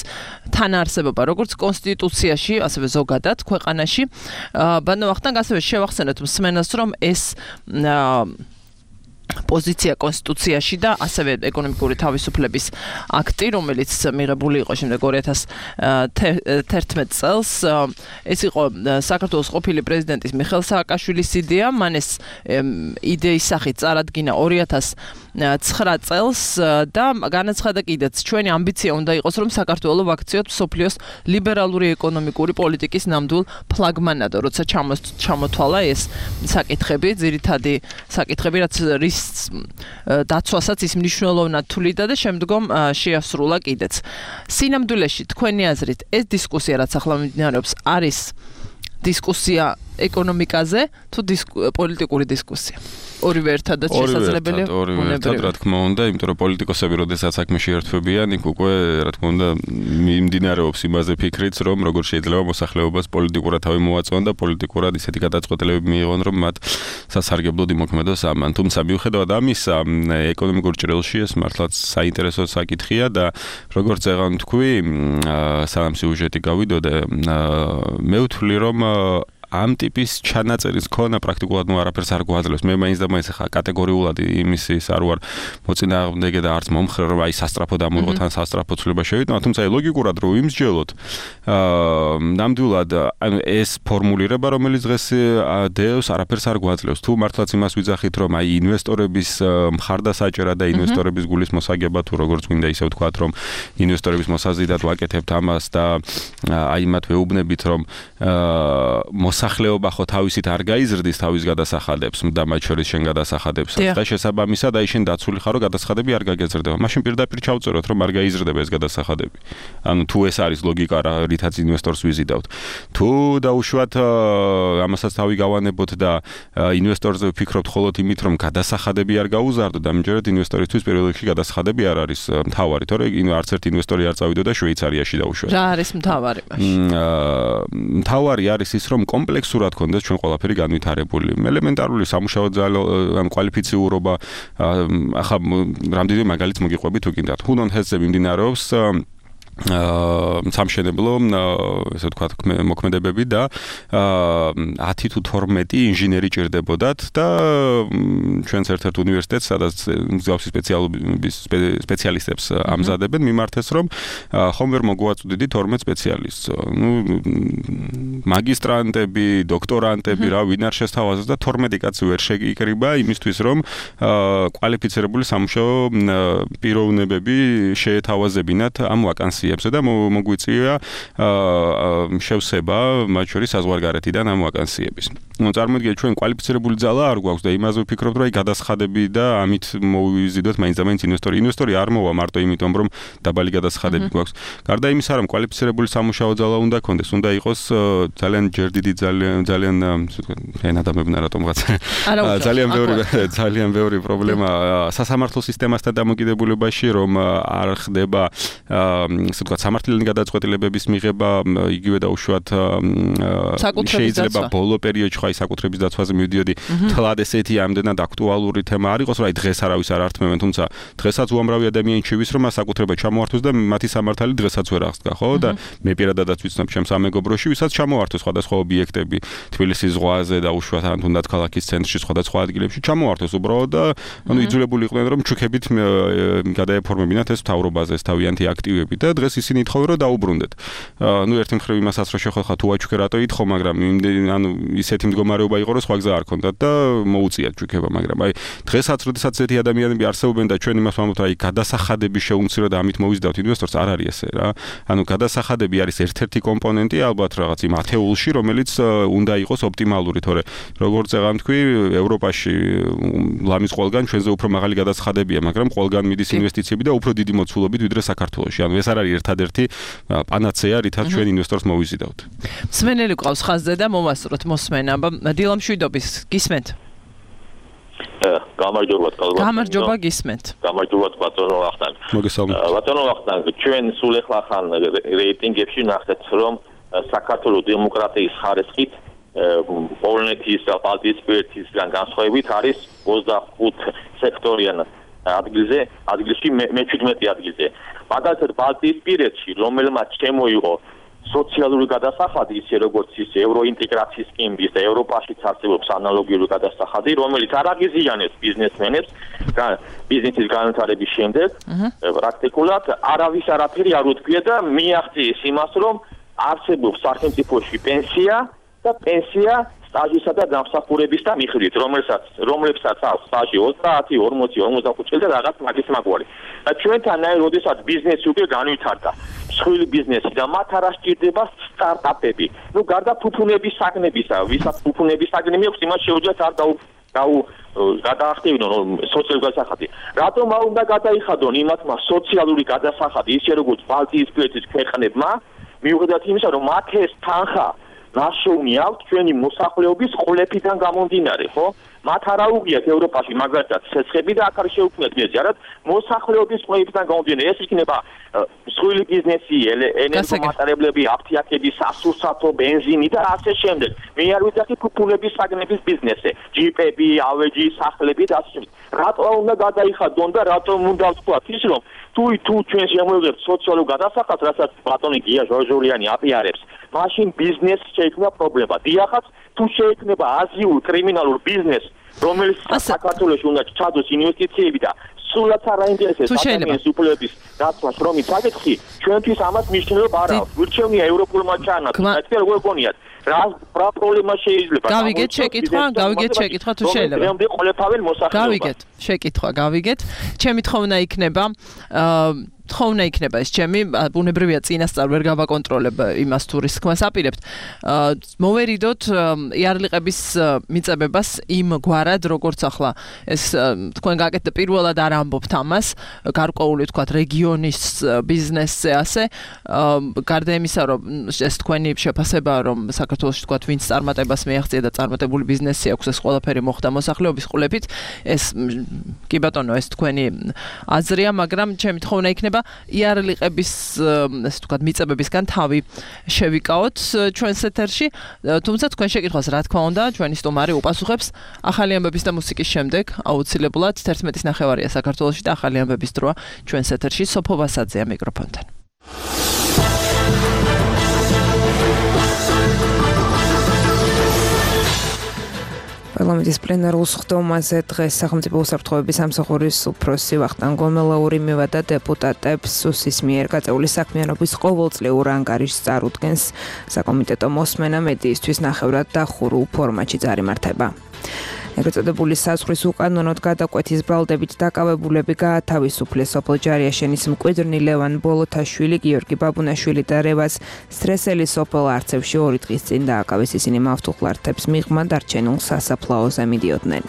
თანაარსებობა, როგორც კონსტიტუციაში, ასევე ზოგადად ქვეყანაში. ბატონო ვახტანგ, ასევე შევახსენოთ მსმენელს, რომ ეს პოზიცია კონსტიტუციაში და ასევე ეკონომიკური თავისუფლების აქტი, რომელიც მიღებული იყო შემდეგ ორი ათას თერთმეტ წელს, ეს იყო საქართველოს ყოფილი პრეზიდენტის მიხეილ სააკაშვილის იდეა, მან ეს იდეის სახით წარადგინა ორი ათას ცხრა წელს და განაცხადა კიდეც, ჩვენი ამბიცია უნდა იყოს, რომ საქართველო ვაქციოთ მსოფლიოს ლიბერალური ეკონომიკური პოლიტიკის ნამდვილ ფლაგმანად, როცა ჩამოთვალა ეს საკითხები, ძირითადი საკითხები, რაც რის დაცვასაც ის მნიშვნელოვნად თვლიდა და შემდგომ შეასრულა კიდეც. სინამდვილეში თქვენი აზრით ეს დისკუსია, რაც ახლა მიმდინარეობს, არის დისკუსია ეკონომიკაზე თუ პოლიტიკური დისკუსია? ორივე ერთადაც შესაძლებელია? ორივე ერთად, რა თქმა უნდა, იმიტომ რომ პოლიტიკოსები, როდესაც საქმე შეერთვებიან, იქ უკვე, რა თქმა უნდა, მიმდინარეობს იმაზე ფიქრიც, რომ როგორ შეიძლება მოსახლეობას პოლიტიკურად თავი მოაწვან და პოლიტიკურად ისეთი გადაწყვეტილებები მიიღონ, რომ მათ სასარგებლოდ იმოქმედოს ამან. თუმცა მიუხედავად ამისა, ეკონომიკურ ჭრილში ეს მართლაც საინტერესო საკითხია და როგორც წეგან თქვი, სამ სიუჟეტი გავიდოდე, მე ვთვლი, რომ ამ ტიპის ჩანაწერის ქონა პრაქტიკულად ნუ არაფერს არ გვაძლევს. მე მაინც და მაინც ხა კატეგორიულად იმის ის არ ვარ მოწინააღმდეგე და არც მომხრე რომ აი სასტრაფო დამოიღო თან სასტრაფო ცვლილება შევიტანო, თუმცა აი ლოგიკურად რომ იმსჯელოთ, აა ნამდვილად ანუ ეს ფორმულირება რომელიც დღეს დევს არაფერს არ გვაძლევს. თუ მართლაც იმას ვიძახით რომ აი ინვესტორების მხარდასაჭერა და ინვესტორების გულის მოსაგება თუ როგორც გვინდა ისე ვთქვათ რომ ინვესტორების მოსაზიდად ვაკეთებთ ამას და აი მათ ვეუბნებით რომ მოსახლეობა ხო თავისით არ გაიზრდის თავის გადასახადებს და მათ შორის შენ გადასახადებსაც და შესაბამისად აი შენ დაცული ხარო გადასახადები არ გაგეზრდება. მაშინ პირდაპირ ჩავწეროთ რომ არ გაიზრდება ეს გადასახადები. ანუ თუ ეს არის ლოგიკა რა რითაც ინვესტორს ვიზიდავთ. თუ დაუშვათ ამასაც თავი გავანებოთ და ინვესტორზე ვფიქრობთ მხოლოდ იმით რომ გადასახადები არ გაუზარდო და ამჯერად ინვესტორისთვის პირველ რიგში გადასახადები არ არის მთავარი, თორე არც ერთი ინვესტორი არ წავიდოდა შვეიცარიაში დაუშვათ. რა არის მთავარი მაშინ? მთავარი არის ის რომ კომპლექსურად გქონდეს ჩვენ ყველაფერი განვითარებული. ელემენტარული სამუშაო ძალა ან კვალიფიციურობა ახლა რამდენი მაგალითს მოგიყვებით თუ გინდათ. ჰუნონ ჰესზე მიმდინარეობს აა სამშენებლო ესე ვთქვათ მოქმედებები და ათი თუ თორმეტი ინჟინერი ჭირდებოდათ და ჩვენს ერთ-ერთ უნივერსიტეტს სადაც მსგავსი სპეციალობის სპეციალისტებს ამზადებენ მიმართეს რომ ხომ ვერ მოგვაწვდიდი თორმეტ სპეციალისტს. ნუ მაგისტრანტები, დოქტორანტები რა ვინ არ შესთავაზეს და თორმეტი კაცი ვერ შეიკრიბა იმისთვის რომ კვალიფიცირებული სამუშაო პიროვნებები შეეთავაზებინათ ამ ვაკანსიებს და მოგვიწია შევსება მათ შორის საზღვარგარეთიდან ამ ვაკანსიების. ნუ წარმოიდგინეთ ჩვენ კვალიფიცირებული ძალა არ გვაქვს და იმაზე ვფიქრობთ რომ აი გადასახადები და ამით მოვიზიდოთ მაინც და მაინც ინვესტორი. ინვესტორი არ მოვა მარტო იმიტომ რომ დაბალი გადასახადები გვაქვს. გარდა იმისა რომ კვალიფიცირებული სამუშაო ძალა უნდა გქონდეს, უნდა იყოს ძალიან ჯერდიდი ძალიან ძალიან ისე ვთქვათ ფენ ადამიანებთან რატომღაც ძალიან ბევრი ძალიან ბევრი პრობლემა სასამართლო სისტემასთან დამოკიდებულებაში რომ არ ხდება ასე ვთქვათ სამართლიანი გადაწყვეტილებების მიღება იგივე დაუშვათ შეიძლება ბოლო პერიოდში ხაი საკუთრების დაცვაზე მივიდიოდი თლად ესეთი ამდენად აქტუალური თემა არ იყოს რომ აი დღეს არავის არ ართმევენ, თუმცა დღესაც უამრავი ადამიანი ჩივის რომ მას საკუთრება ჩამოართვეს და მათი სამართალი დღესაც ვერ აღსდგა, ხო? და მე პირადადაც ვიცნობ ჩემს სამეგობროში ვისაც ჩამოართვეს სხვადასხვა ობიექტები თბილისის ზღვაზე დაუშვათ ან თუნდაც ქალაქის ცენტრში სხვადასხვა ადგილებში ჩამოართვეს უბრალოდ და ანუ იძულებული იყვნენ რომ ჩუქებით გადაეფორმებინათ ეს მთავრობაზე ეს თავიანთი აქტივები და დღეს ისინი ითხოვენ რომ დაუბრუნდეთ. ნუ ერთი მხრივ იმასაც რომ შეხოხა თუ აჩუქე რატო ითხოვ, მაგრამ ანუ ისეთი მდგომარეობა იყო რომ სხვა გზა არ ქონდათ და მოუწიათ ჩუქება, მაგრამ აი დღესაც როდესაც ესეთი ადამიანები არსებობენ და ჩვენ იმას ვამბობთ აი გადასახადები შეუმცირდა და ამით მოვიზიდავთ ინვესტორს, არ არის ესე რა. ანუ გადასახადები არის ერთ-ერთი კომპონენტი ალბათ რაღაც იმ ათეულში, რომელიც უნდა იყოს ოპტიმალური, თორე როგორც აღარ თქვი, ევროპაში ლამის ყველგან ჩვენზე უფრო მაღალი გადასახადებია, მაგრამ ყველგან მიდის ინვესტიციები და უფრო დიდი მოცულობით ვიდრე საქართველოში. ანუ ეს არ არის ერთადერთი პანაცეა, რითაც ჩვენ ინვესტორს მოვიზიდავთ. მსმენელი ყავს ხაზზე და მომასწროთ მოსმენა. დილა მშვიდობის, გისმენთ? გამარჯობა თქვენ. გამარჯობა გისმენთ. გამარჯობა ბატონო ვახტანგ. მოგესალმებით. ბატონო ვახტანგ, ჩვენ სულ ახლა ხან რეიტინგებში ნახეთ რომ საქართველოს დემოკრატიის ხარისხით პოლონეთის და ბალტიისპირეთისგან განსხვავებით არის ოცდახუთ სექტორიან ადგილზე, ადგილში მეჩვიდმეტე ადგილზე. მაგალითად ბალტიისპირეთში რომელმაც შემოიღო სოციალური გადასახადი, ისე როგორც ის ევროინტეგრაციის სკემის და ევროპაშიც არსებობს ანალოგიური გადასახადი, რომელიც არ აღიზიანებს ბიზნესმენებს ბიზნესის განვითარების შემდეგ, პრაქტიკულად არავის არაფერი არ უთქვია და მიაღწიეს იმას, რომ არსებობს სახელმწიფოში პენსია და პენსია სტაჟისა და დამსახურების და მიხედვით, რომელსაც რომლებსაც აქვს სტაჟი ოცდაათი, ორმოცი, ორმოცდახუთი წელი და რაღაც მაგის მაგვარი. და ჩვენთან აი როდესაც ბიზნესი უკვე განვითარდა, მსხვილი ბიზნესი და მათ არ ასჭირდება სტარტაპები. ნუ გარდა ფუფუნების საგნებისა, ვისაც ფუფუნების საგნები აქვს, იმას შეუძლიათ არ დაუ დაუ გადაახტევინონ სოციალური გადასახადი. რატომ არ უნდა გადაიხადონ იმათმა სოციალური გადასახადი, ისე როგორც ბალტიისპირეთის ქვეყნებმა, მიუხედავად იმისა, რომ მათ ეს თანხა ნაშოვნი აქვს ჩვენი მოსახლეობის ყოლეფიდან გამომდინარე, ხო? მათ არ აუღიათ ევროპაში მაგალითად ცეცხლები და აქ არ შეუქმნათ მიზეზი, არად მოსახლეობის ყოლეფიდან გამომდინარე. ეს იქნება მსხვილი ბიზნესი, ენერგომატარებლები, აფთიაქები, სასურსათო, ბენზინი და ასე შემდეგ. მე არ ვიძახი ფუფუნების საგნების ბიზნესზე, ჯიპები, ავეჯი, სახლები და ასე შემდეგ. რატო უნდა გადაიხადონ და რატომ უნდა ვთქვათ ის, რომ თუ თუ ჩვენ შემოვიღებთ სოციალურ გადასახადს, რასაც ბატონი გია ჟორჟორიანი აპიარებს, მაშინ ბიზნესს შეიქმნა პრობლემა. დიახაც თუ შეექმნება აზიურ კრიმინალურ ბიზნესს, რომელიც საქართველოში უნდა ჩადოს ინვესტიციები და სულაც არ აინტერესებს ადამიანის უფლებების დაცვას, რომ იცაკითხი, ჩვენთვის ამას მნიშვნელობა არ აქვს. გვირჩევნია ევროპულმა ჩანაცვლად. საერთოდ როგორ გონიათ? რა რა პრობლემა შეიძლება? გავიგეთ შეკითხვა, გავიგეთ შეკითხვა თუ შეიძლება. რომელი ყოლებავენ მოსახლეობას. გავიგეთ შეკითხვა, გავიგეთ. ჩემი თხოვნა იქნება აა თხოვნა იქნება ეს ჩემი ბუნებრივია წინასწარ ვერ გავაკონტროლებ იმას თუ რის თქმას აპირებთ. მოვერიდოთ იარლიყების მიწებებას იმ გვარად როგორც ახლა ეს თქვენ გაკეთდა პირველად არ ამბობთ ამას გარკვეული თქვათ რეგიონის ბიზნესზე ასე გარდა იმისა რომ ეს თქვენი შეფასებაა რომ საქართველოში თქვათ ვინც წარმატებას მიაღწია და წარმატებული ბიზნესი აქვს ეს ყველაფერი მოხდა მოსახლეობის ყოლებით ეს კი ბატონო ეს თქვენი აზრია მაგრამ ჩემი თხოვნა იქნება იარლიყების ასე ვთქვათ მიწებებისგან თავი შევიკავოთ ჩვენს ეთერში თუმცა თქვენ შეკითხვას რა თქმა უნდა ჩვენი სტუმარი უპასუხებს ახალი ამბების და მუსიკის შემდეგ აუცილებლად თერთმეტის ნახევარია საქართველოში და ახალი ამბების დროა ჩვენს ეთერში სოფო ვასაძეა მიკროფონთან პარლამენტის პლენარულ სხდომაზე დღეს სახელმწიფო უსაფრთხოების სამსახურის უფროსი ვახტანგ გომელაური მივადა დეპუტატებს სუსის მიერ გაწეული საქმიანობის ყოველწლიურ ანგარიშს წარუდგენს საკომიტეტო მოსმენა მედიისთვის ნახევრად დახურულ ფორმატში წარიმართება. ეგრეთწოდებული საზღვრის უკანონოდ გადაკვეთის ბრალდებით დაკავებულები გაათავისუფლეს სოფელ ჯარიაშენის მკვიდრნი ლევან ბოლოთაშვილი, გიორგი ბაბუნაშვილი და რევაზ სტრესელი სოფელ არცევში ორი დღის წინ დააკავეს ისინი მავთუხლართებს მიღმა დარჩენილ სასაფლაოზე მიდიოდნენ.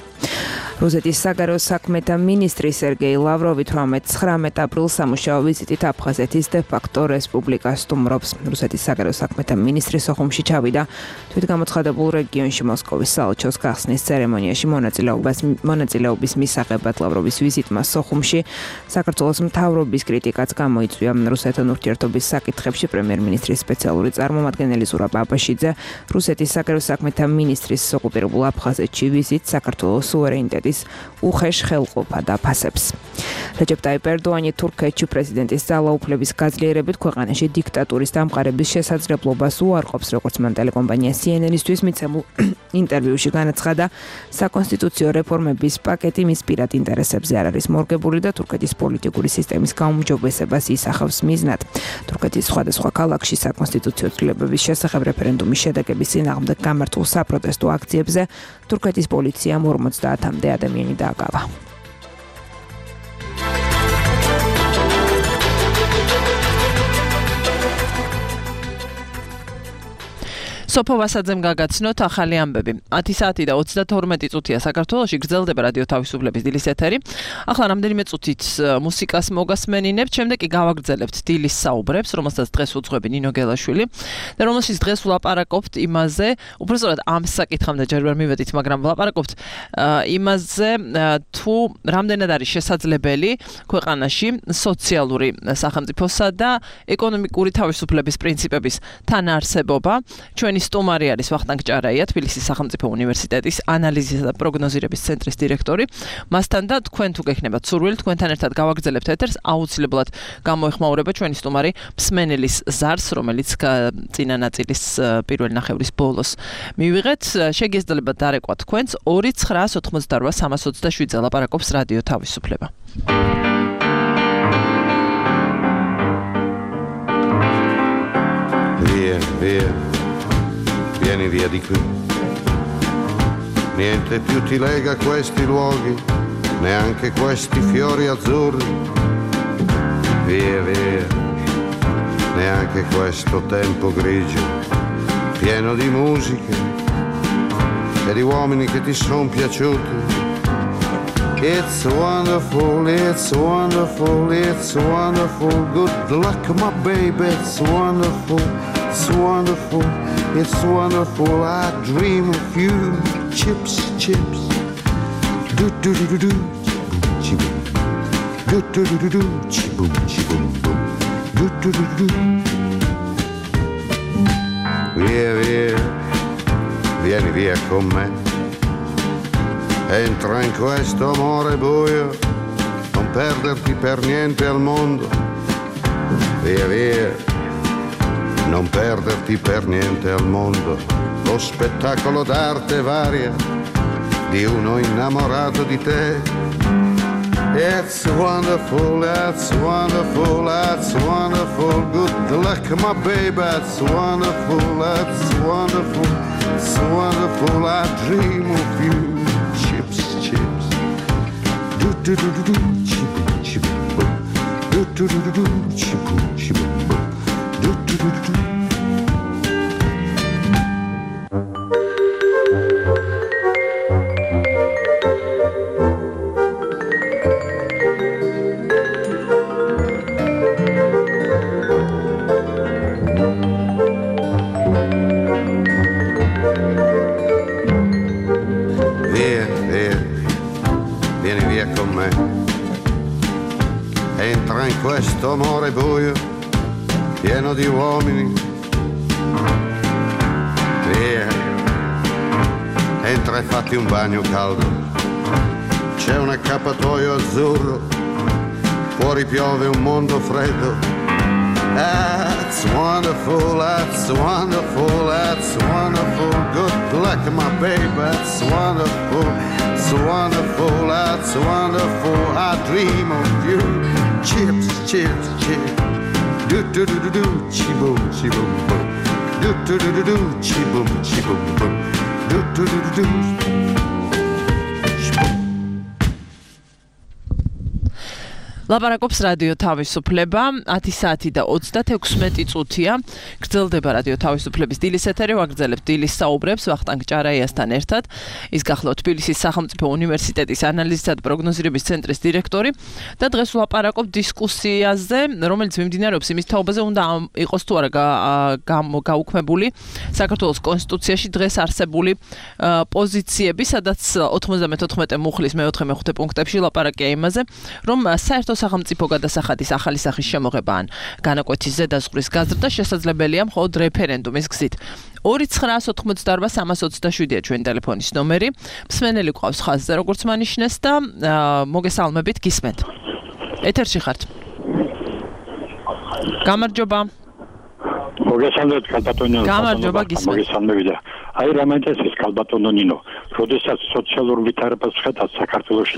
რუსეთის საგარეო საქმეთა მინისტრი სერგეი ლავროვი თვრამეტ აპრილს სამუშაო ვიზიტით აფხაზეთის დე-ფაქტო რესპუბლიკას სტუმრობს. რუსეთის საგარეო საქმეთა მინისტრი სოხუმში ჩავიდა თვითგამოცხადებულ რეგიონში მოსკოვის საელჩოს გახსნის ცერემონიაში მონაწილეობას მონაწილეობის მისაღებად ლავროვის ვიზიტმა სოხუმში საქართველოს მთავრობის კრიტიკაც გამოიწვია რუსეთთან ურთიერთობის საკითხებში პრემიერ-მინისტრის სპეციალური წარმომადგენელი ზურაბ აბაშიძე რუსეთის საგარეო საქმეთა მინისტრის ოკუპირებულ აფხაზეთში ვიზიტს საქართველოს სუვერენიტეტის უხეშ ხელყოფა დაფასებს. რეჯეპ ტაიპ ერდოანი თურქეთში პრეზიდენტის ძალაუფლების გაძლიერებით ქვეყანაში დიქტატურის დამყარების შესაძლებლობას უარყოფს, როგორც მან ტელეკომპანია სი ენ ენ-ისთვის მიცემულ ინტერვიუში განაცხადა, საკონსტიტუციო რეფორმების პაკეტი მის პირად ინტერესებზე არ არის მორგებული და თურქეთის პოლიტიკური სისტემის გაუმჯობესებას ისახავს მიზნად. თურქეთის სხვადასხვა ქალაქში საკონსტიტუციო ცვლილებების შესახებ რეფერენდუმის შედეგების წინააღმდეგ გამართულ საპროტესტო აქციებზე თურქეთის პოლიციამ ორმოცდაათამდე ადამიანი დააკავა. სოფო ვასაძემ გაგაცნოთ ახალი ამბები. ათი საათი და ოცდათორმეტი წუთია საქართველოში გრძელდება რადიო თავისუფლების დილის ეთერი. ახლა რამდენიმე წუთით მუსიკას მოგასმენინებთ, შემდეგ კი გავაგრძელებთ დილის საუბრებს, რომელსაც დღეს უძღვები ნინო გელაშვილი და რომელშიც დღეს ვლაპარაკობთ იმაზე, უბრალოდ ამ საკითხამდე ჯერ ვერ მივედით, მაგრამ ვლაპარაკობთ იმაზე, თუ რამდენად არის შესაძლებელი ქვეყანაში სოციალური სახელმწიფოსა და ეკონომიკური თავისუფლების პრინციპების თანაარსებობა. ჩვენი სტუმარი არის ვახტანგ ჭარაია, თბილისის სახელმწიფო უნივერსიტეტის ანალიზისა და პროგნოზირების ცენტრის დირექტორი. მასთან და თქვენ თუ გექნებათ სურვილი, თქვენთან ერთად გავაგრძელებთ ეთერს, აუცილებლად გამოეხმაურება ჩვენი სტუმარი მსმენელის ზარს, რომელიც წინა ნაწილის პირველი ნახევრის ბოლოს მივიღეთ. შეგიძლიათ დარეკვა თქვენს ორი ცხრა ოთხმოცდარვა სამას ოცდაშვიდზე ლაპარაკობს რადიო თავისუფლება. Via, via, vieni via di qui. Niente più ti lega questi luoghi, neanche questi fiori azzurri. Via, via, neanche questo tempo grigio, pieno di musiche e di uomini che ti son piaciuti. It's wonderful, it's wonderful, it's wonderful. Good luck, my baby, it's wonderful, it's wonderful, it's wonderful. I dream of you, chips, chips. Do do do do do, chibum, do do do do do, chibum, chibum, boom, do do do do. Via, via, vieni via con me. Entra in questo amore buio, non perderti per niente al mondo. Via, via, non perderti per niente al mondo. lo spettacolo d'arte varia di uno innamorato di te. It's wonderful, it's wonderful, it's wonderful. Good luck, my baby, it's wonderful, it's wonderful, it's wonderful. I dream of you. Chips, chips. Do do do do do, chip chip. Do do do do do, chip chip. Do do do do do. Entra in questo amore buio, pieno di uomini. Via, entra e fatti un bagno caldo. C'è un accappatoio azzurro, fuori piove un mondo freddo. That's wonderful, that's wonderful, that's wonderful. Good luck, my baby, that's wonderful, that's wonderful, that's wonderful. I dream of you. Chips, chips, chips. Do do do do do, chi boom, chi boom boom. Do do do do do, chi boom, chi boom boom. Do do do do do. ლაპარაკობს რადიო თავისუფლება, ათი საათი და ოცდათექვსმეტი წუთია. გრძელდება რადიო თავისუფლების დილის ეთერი, ვაგრძელებთ დილის საუბრებს ვახტანგ ჭარაიასთან ერთად. ის გახლავთ თბილისის სახელმწიფო უნივერსიტეტის ანალიზისა და პროგნოზირების ცენტრის დირექტორი და დღეს ვლაპარაკობთ დისკუსიაზე, რომელიც მიმდინარეობს იმის თაობაზე, უნდა იყოს თუ არა გაუქმებული საქართველოს კონსტიტუციაში დღეს არსებული პოზიციები, სადაც ოთხმოცდამეთოთხმეტე მუხლის მეოთხე მეხუთე პუნქტებში ლაპარაკია იმაზე, რომ საერთო სახელმწიფო გადასახადის ახალი სახის შემოღება ან განაკვეთის ზედაზღვრის გაზრდა შესაძლებელია მხოლოდ რეფერენდუმის გზით. ორი ცხრაას ოთხმოცდაორბა სამას ოცდაშვიდია ჩვენი ტელეფონის ნომერი. მსმენელი ყავს ხაზზე, როგორც მანიშნეს და მოგესალმებით, გისმენთ. ეთერში ხართ. გამარჯობა. მოგესალმებით, კალბატონო. გამარჯობა, გისმენთ. მოგესალმებით. აი რა მაინტერესებს კალბატონო ნინო, როდესაც სოციალურ ვითარებას ხედავთ საქართველოში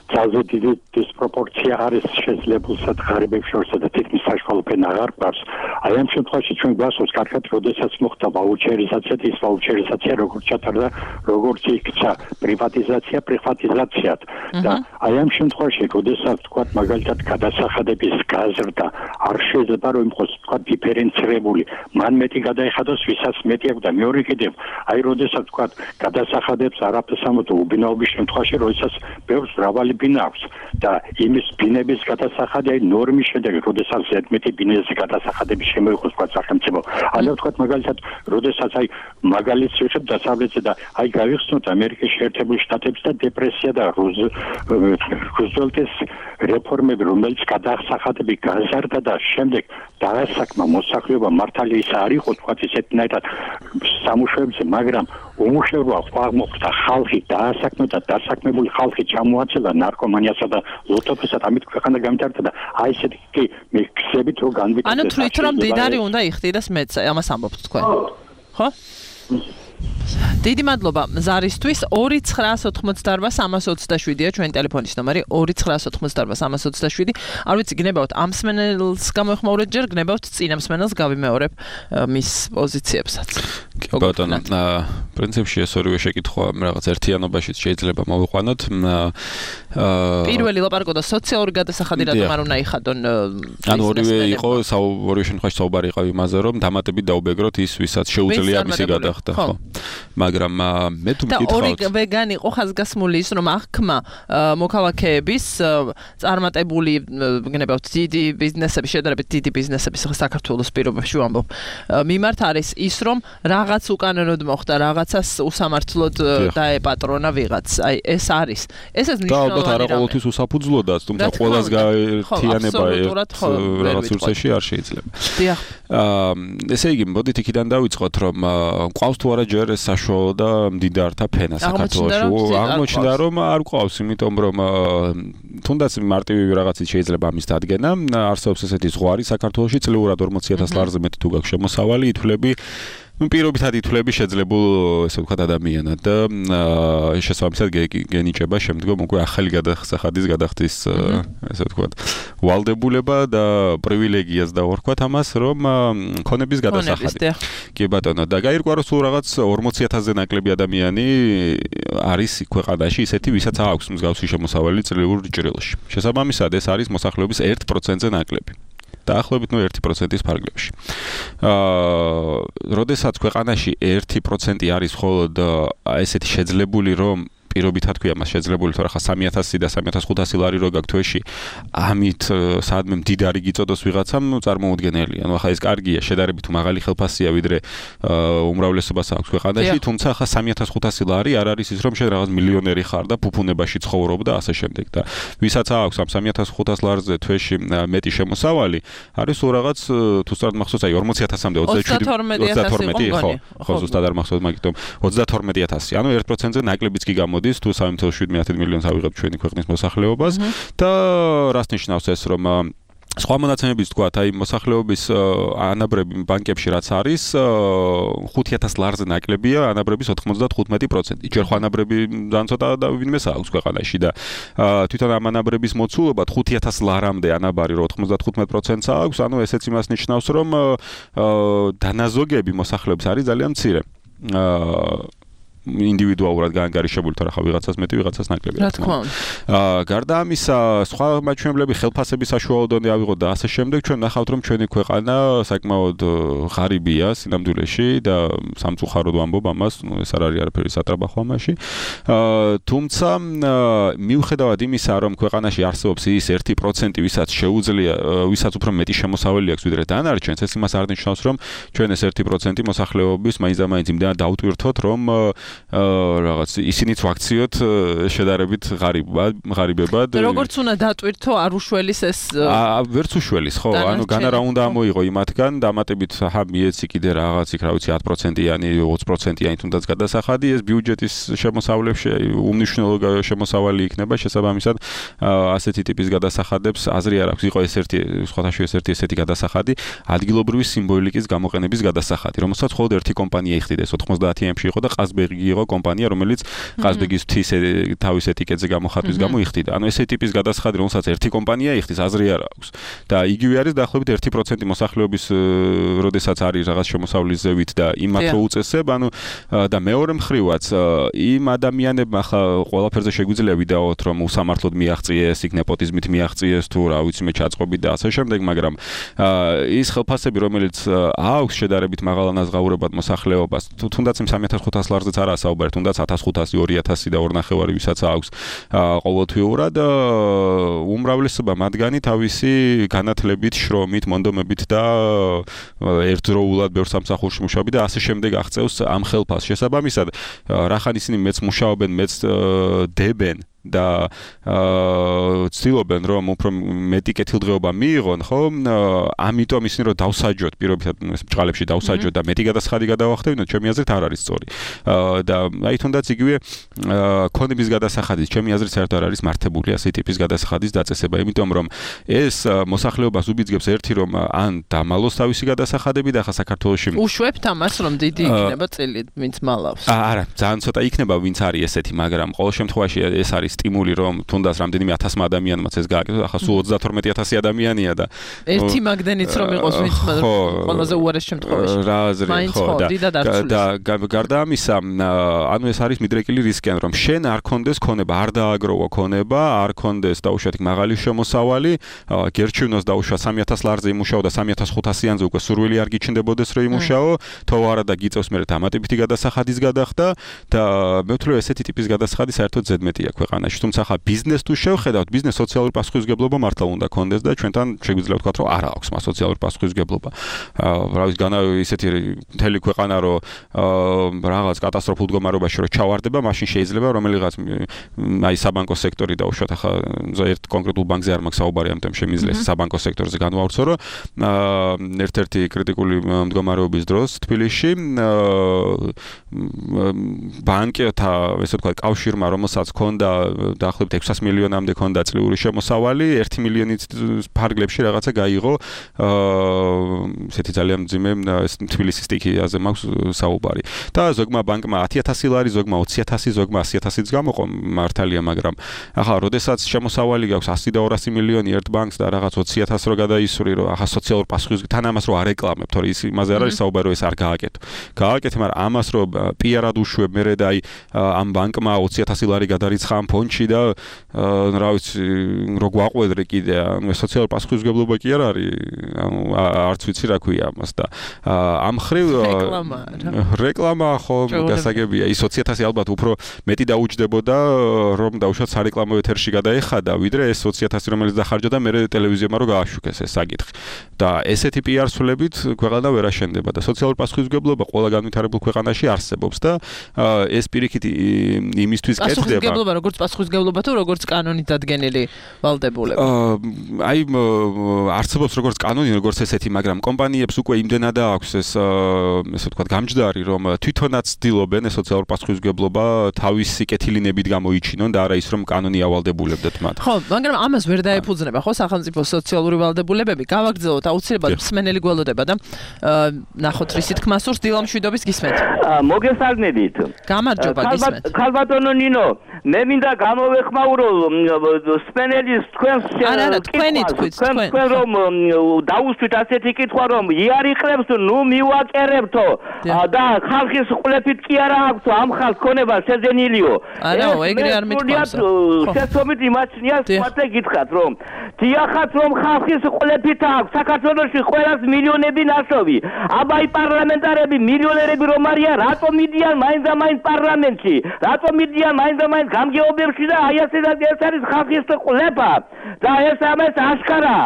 ძალზე დიდი დისპროპორცია არის შესაძლებელსა და ღარიბებს შორსა და თითქმის საშუალო ფენა აღარ გვაქვს. აი ამ შემთხვევაში ჩვენ გვასწორს კარგად, როდესაც მოხდა ვაუჩერიზაცია, ის ვაუჩერიზაცია როგორც ჩატარდა, როგორც იქცა პრივატიზაცია, პრივატიზაციად და აი ამ შემთხვევაში, როდესაც თქვა მაგალითად გადასახადების გაზრდა არ შეიძლება რომ იყოს თქვა დიფერენცირებული, მან მეტი გადაიხადოს, ვისაც მეტი აქვს და მეორე კიდევ აი როდესაც თქვა გადასახადებს არაფერს ამოწო უბინაობის შემთხვევაში, როდესაც ბევრს მრავალი ბინა აქვს და იმის ბინების გადასახადი აი ნორმის შედეგი, როდესაც ზედმეტი ბინების გადასახადები შემოიღოს თქვა სახელმწიფო. ანუ თქვა მაგალითად, როდესაც აი მაგალითს ვიღებ დასავლეთზე და აი გავიხსნოთ ამერიკის შეერთებული შტატების და დეპრესია და რუზველტის რეფორმები, რომელიც გადასახადები გაზარდა და შემდეგ დაასაკმა მოსახლეობა მართალი ის არ იყო თქვა ისეთნაირად სამუშაოებზე, მაგრამ უმუშევრობა აღმოხდა ხალხი დაასაქმე და დასაქმებული ხალხი ჩამოაცელა ნარკომანიასა და ლუთოფესად, ამით ქვეყანა გამიტარდა და აი ესეთი კი მე ხსებით რომ განვითარდეს. ანუ თვლით რომ მდიდარი უნდა იხდიდეს მეც, ამას ამბობთ თქვენ. ხო? დიდი მადლობა ზარისთვის. ორი ცხრაას ოთხმოცდაორბა სამას ოცდაშვიდია ჩვენი ტელეფონის ნომერი. ორი ცხრაას ოთხმოცდაორბა სამას ოცდაშვიდი. არ ვიცი, გნებავთ ამ მსმენელს გამოეხმაურეთ ჯერ, გნებავთ წინა მსმენელს გავიმეორებ მის პოზიციებსაც. კი ბატონო, პრინციპში ეს ორივე შეკითხვა რაღაც ერთიანობაში შეიძლება მოვიყვანოთ. პირველი ლაპარაკობდა სოციალური გადასახადი, რატომ არ უნდა იხადონ. ანუ ორივე იყო, ორივე შემთხვევაში საუბარი იყო იმაზე, რომ დამატებით დაუბეგროთ ის, ვისაც შეუძლია მისი გადახდა, ხო? მაგრამ მე თუ მკითხავთ და ორი ვეგანი იყო ხაზგასმული ის, რომ აღქმა მოქალაქეების წარმატებული გნებავთ დიდი ბიზნესები, შედარებით დიდი ბიზნესები საქართველოს პირობებში ვამბობ. მიმართ არის ის, რომ რაღაც უკანონოდ მოხდა, რაღაცას უსამართლოდ დაეპატრონა ვიღაც. აი ეს არის. ესეც მნიშვნელოვანი და ალბათ არა ყოველთვის უსაფუძვლოდაც, თუმცა ყველას გაერთიანება რაღაც ურსეში არ შეიძლება. დიახ. აა ესე იგი, მოდით იქიდან დავიწყოთ, რომ ყავს თუ არა ჯერ ეს საშუალო და მდიდართა ფენა საქართველოში. აღმოჩნდა რომ არ ყავს, იმიტომ რომ თუნდაც მარტივი რაღაცით შეიძლება ამის დადგენა. არსებობს ესეთი ზღვარი საქართველოში, წლიურად ორმოცი ათას ლარზე მეტი თუ გაქვს შემოსავალი, ითვლები ну პირობითად ითვლები შეძლებულ ესე ვთქვათ ადამიანად და შესაბამისად გენიჭება შემდგომ უკვე ახალი გადასახადის გადახდის ესე ვთქვათ ვალდებულება და პრივილეგიას დავარქვათ ამას რომ ქონების გადასახადი კი ბატონო და გაირკვა რომ სულ რაღაც ორმოცი ათასზე ნაკლები ადამიანი არის ქვეყანაში ისეთი ვისაც აქვს მსგავსი შემოსავალი წლიურ ჭრილში შესაბამისად ეს არის მოსახლეობის ერთ პროცენტზე ნაკლები დაახლოებით ნუ ერთი პროცენტის ფარგლებში. აა, როდესაც ქვეყანაში ერთი პროცენტი არის მხოლოდ ესეთი შეძლებული რომ პირობითად ქვია მას შეძლებული თორე ხა სამი ათასი და სამი ათას ხუთასი ლარი რო გაქვს თვეში ამით საადმე მდიდარი გიწოდოს ვიღაცამ წარმოუდგენელია. ანუ ხა ეს კარგია შედარებით მაღალი ხელფასია ვიდრე უმრავლესობას აქვს ქვეყანაში, თუმცა ხა სამი ათას ხუთასი ლარი არ არის ის რომ შენ რაღაც მილიონერი ხარ და ფუფუნებაში ცხოვრობ და ასე შემდეგ და ვისაც აქვს ამ სამი ათას ხუთას ლარზე თვეში მეტი შემოსავალი არის სულ რაღაც თუ სწორად მახსოვს აი ორმოცი ათასამდე ოცდათორმეტი ხო ხო ზუსტად არ მახსოვს მაგიტომ ოცდათორმეტი ათასი ანუ ერთ პროცენტზე ნაკლებიც კი გამოდის თუ სამი ათას შვიდმეტი მილიონს ავიღებ ჩვენი ქვეყნის მოსახლეობას და რას ნიშნავს ეს რომ სხვა მონაცემების თქვათ აი მოსახლეობის ანაბრები ბანკებში რაც არის ხუთი ათას ლარზე ნაკლებია ანაბრების ოთხმოცდათხუთმეტი პროცენტი. ჯერ ხო ანაბრები ძალიან ცოტა და ვინმეს აქვს ქვეყანაში და თვითონ ამ ანაბრების მოცულობა ხუთი ათას ლარამდე ანაბარი რო ოთხმოცდათხუთმეტი პროცენტს აქვს, ანუ ესეც იმას ნიშნავს რომ დანაზოგები მოსახლეობის არის ძალიან მცირე. ინდივიდუალურად გაანგარიშებული თორე ხა ვიღაცას მეტი ვიღაცას ნაკლები რა თქმა უნდა. აა გარდა ამისა სხვა მაჩვენებლები ხელფასების საშუალო დონე ავიღოთ და ასე შემდეგ ჩვენ ნახავთ რომ ჩვენი ქვეყანა საკმაოდ ღარიბია სინამდვილეში და სამწუხაროდ ვამბობ ამას, ნუ ეს არ არის არაფერი სატრაბახო ამაში. აა თუმცა მიუხედავად იმისა რომ ქვეყანაში არსებობს ის ერთი პროცენტი ვისაც შეუძლია ვისაც უფრო მეტი შემოსავალი აქვს ვიდრე დანარჩენს, ეს იმას არ ნიშნავს რომ ჩვენ ეს ერთი პროცენტი მოსახლეობის მაინც და მაინც იმდენად დავტვირთოთ რომ რაღაც ისინიც ვაქციოთ შედარებით ღარიბად, ღარიბებად. როგორც უნდა დატვირთო არ უშველის ეს აა ვერც უშველის, ხო, ანუ განა რა უნდა ამოიღო იმათგან, დამატებით ჰა მიეცი კიდე რაღაც იქ რა ვიცი ათი პროცენტიანი, ოცი პროცენტიანი თუნდაც გადასახადი, ეს ბიუჯეტის შემოსავლებში უმნიშვნელო შემოსავალი იქნება შესაბამისად ასეთი ტიპის გადასახადებს აზრი არ აქვს. იყო ეს ერთი სხვათაშორის ეს ერთი ესეთი გადასახადი, ადგილობრივი სიმბოლიკის გამოყენების გადასახადი, რომელსაც მხოლოდ ერთი კომპანია იხდიდა, ეს ოთხმოცდაათიანში იყო და ყაზბეგი იყო კომპანია, რომელიც ყაზბეგის თის თავის ეტიკეტზე გამოხატვის გამო იხდიდა. ანუ ესე ტიპის გადასახადი, რომელსაც ერთი კომპანია იხდის, აზრი არ აქვს. და იგივე არის დაახლოებით ერთი პროცენტი მოსახლეობის, როდესაც არის რაღაც შემოსავლის ზევით და იმათ რო უწესებ, ანუ და მეორე მხრივაც იმ ადამიანებმა ხა ყველაფერზე შეგვიძლია ვიდაოთ, რომ უსამართლოდ მიაღწიეს, იქ ნეპოტიზმით მიაღწიეს თუ რა ვიცი მე ჩაწყობით და ასე შემდეგ, მაგრამ ის ხელფასები, რომელიც აქვს შედარებით მაღალ ანაზღაურებად მოსახლეობას, თუნდაც იმ სამი ათას ხუთას ლარზეც არ ასაუბარ, თუნდაც ათას ხუთასი, ორი ათასი და ორი ნახევარი ვისაც აქვს ყოველთვიურად უმრავლესობა მათგანი თავისი განათლებით, შრომით, მონდომებით და ერთდროულად ბევრ სამსახურში მუშაობენ და ასე შემდეგ აღწევს ამ ხელფასს. შესაბამისად, რახან ისინი მეც მუშაობენ, მეც დებენ და ცდილობენ რომ უფრო მეტი კეთილდღეობა მიიღონ, ხო? ამიტომ ისინი რომ დავსაჯოთ, პირობითად ეს ბჭყალებში დავსაჯოთ და მეტი გადასახადი გადავახტევინოთ, ჩემი აზრით არ არის სწორი. და აი თუნდაც იგივე ქონების გადასახადის, ჩემი აზრით საერთოდ არ არის მართებული ასეთი ტიპის გადასახადის დაწესება, იმიტომ რომ ეს მოსახლეობას უბიძგებს ერთი რომ ან დამალოს თავისი გადასახადები და ხა საქართველოში უშვებთ ამას რომ დიდი იქნება წილი, ვინც მალავს. არა, ძალიან ცოტა იქნება ვინც არის ესეთი, მაგრამ ყოველ შემთხვევაში ეს არის სტიმული რომ თუნდაც რამდენიმე ათასმა ადამიანმაც ეს გააკეთოს, ახლა სულ ოცდათორმეტი ათასი ადამიანია და ერთი მაგდენიც რომ იყოს ვინც ყველაზე უარეს შემთხვევაში. რა აზრი ხო და გარდა ამისა, ანუ ეს არის მიდრეკილი რისკი, რომ შენ არ კონდეს ქონება, არ დააგროვა ქონება, არ კონდეს დაუშვათ მაღალი შემოსავალი, გერჩივნოს დაუშვა სამი ათას ლარზე იმუშაო და სამი ათას ხუთასიანზე უკვე სურვილი არ გიჩნდებოდეს რომ იმუშაო, თო არა და გიწევს მე დამატებითი გადასახადის გადახდა და მე ვთვლი ესეთი ტიპის გადასახადი საერთოდ ზედმეტია ქვეყანაში. თუმცა ხა ბიზნეს თუ შევხედავთ, ბიზნეს სოციალური პასუხისმგებლობა მართლა უნდა კონდეს და ჩვენთან შეგვიძლია ვთქვათ, რომ არ აქვს მას სოციალური პასუხისმგებლობა. რა ვიცი, განა ისეთი მთელი ქვეყანა რომ რაღაც კატასტროფულ მდგომარეობაში რომ ჩავარდება, მაშინ შეიძლება რომელიღაც აი საბანკო სექტორი დაუშვათ, ახლა ერთ კონკრეტულ ბანკზე არ მაქვს საუბარი, ამიტომ შემიძლია საბანკო სექტორზე განვავრცო, რომ ერთ-ერთი კრიტიკული მდგომარეობის დროს თბილისში ბანკთა, ესე ვთქვათ, კავშირმა, რომელსაც ჰქონდა დაახლოებით ექვსას მილიონამდე ქონდა წლიური შემოსავალი, ერთი მილიონის ფარგლებში რაღაცა გაიღო ესეთი ძალიან მძიმე თბილისის სტიქიაზე მაქვს საუბარი. და ზოგმა ბანკმა ათი ათასი ლარი, ზოგმა ოცი ათასი, ზოგმა ასი ათასიც გამოყო მართალია, მაგრამ ახლა როდესაც შემოსავალი გაქვს ასი და ორასი მილიონი ერთ ბანკს და რაღაც ოცი ათასი რო გადაისვრი, რომ ახლა სოციალურ პასუხისმგებლობას თან ამას რო არ ეკლამებ, თორე ის იმაზე არ არის საუბარი, რომ ეს არ გააკეთო. გააკეთე, მაგრამ ამას რო პიარად უშვებ მერე და აი ამ ბანკმა ოცი ათასი ლარი გადარიცხა ამ ფონდში და რა ვიცი, რო გვაყვედრე კიდე, ანუ სოციალური პასუხისმგებლობა კი არ არის, ანუ არც ვიცი რა ქვია ამას და ამ ხრივ რეკლამა ხო გასაგებია, ის ოცი ათასი ალბათ უფრო მეტი დაუჯდებოდა, რომ დაუშვათ სარეკლამო ეთერში გადაეხადა, ვიდრე ეს ოცი ათასი რომელიც დახარჯა და მერე ტელევიზიამ რო გააშუქეს ეს საკითხი. და ესეთი პიარ სულებით ქვეყანა ვერ აშენდება და სოციალური პასუხისმგებლობა ყველა განვითარებულ ქვეყანაში არსებობს და ეს პირიქით იმისთვის კეთდება. პასუხისმგებლობა როგორც პასუხისმგებლობა თუ როგორც კანონით დადგენილი ვალდებულება. აი არსებობს როგორც კანონი, როგორც ესეთი, მაგრამ კომპანიებს უკვე იმდენად აქვს ეს ესე ვთქვათ გამჯდარი, რომ თვითონაც ცდილობენ ეს სოციალური პასუხისმგებლობა თავისი კეთილინებით გამოიჩინონ და არა ის რომ კანონი ავალდებულებდეთ მათ. ხო, მაგრამ ამას ვერ დაეფუძნება ხო სახელმწიფო სოციალური ვალდებულებები? გავაგრძელოთ აუცილებლად მსმენელი გველოდება და ნახოთ რისი თქმა სურს დილამშვიდობის გისმენთ. მოგესალმებით. გამარჯობა გისმენთ. ქალბატონო ნინო, მე მინდა გამოვეხმაურო სპენელის თქვენს არა არა თქვენი თქვით თქვენ რომ დაუსვით ასეთი კითხვა რომ იარიყრებს ნუ მივაკერებთო და ხალხის ყლეფით კი არა აქვს ამ ხალხს ქონება შეძენილიო. არა ეგრე არ მithქვამს. შეცდომით იმაჩნიას მათე გითხრათ რომ დიახაც რომ ხალხის ყლეფით აქვს საქართველოში ყველას მილიონები ნასოვი. აბა პარლამენტარები მილიონერები რომ არიან რატომ მიდიან მაინც და მაინც პარლამენტში? რატომ მიდიან მაინც და მაინც გამგეობებში და აი ასე და ეს არის ხალხის ყლეფა და ეს ამას აშკარა.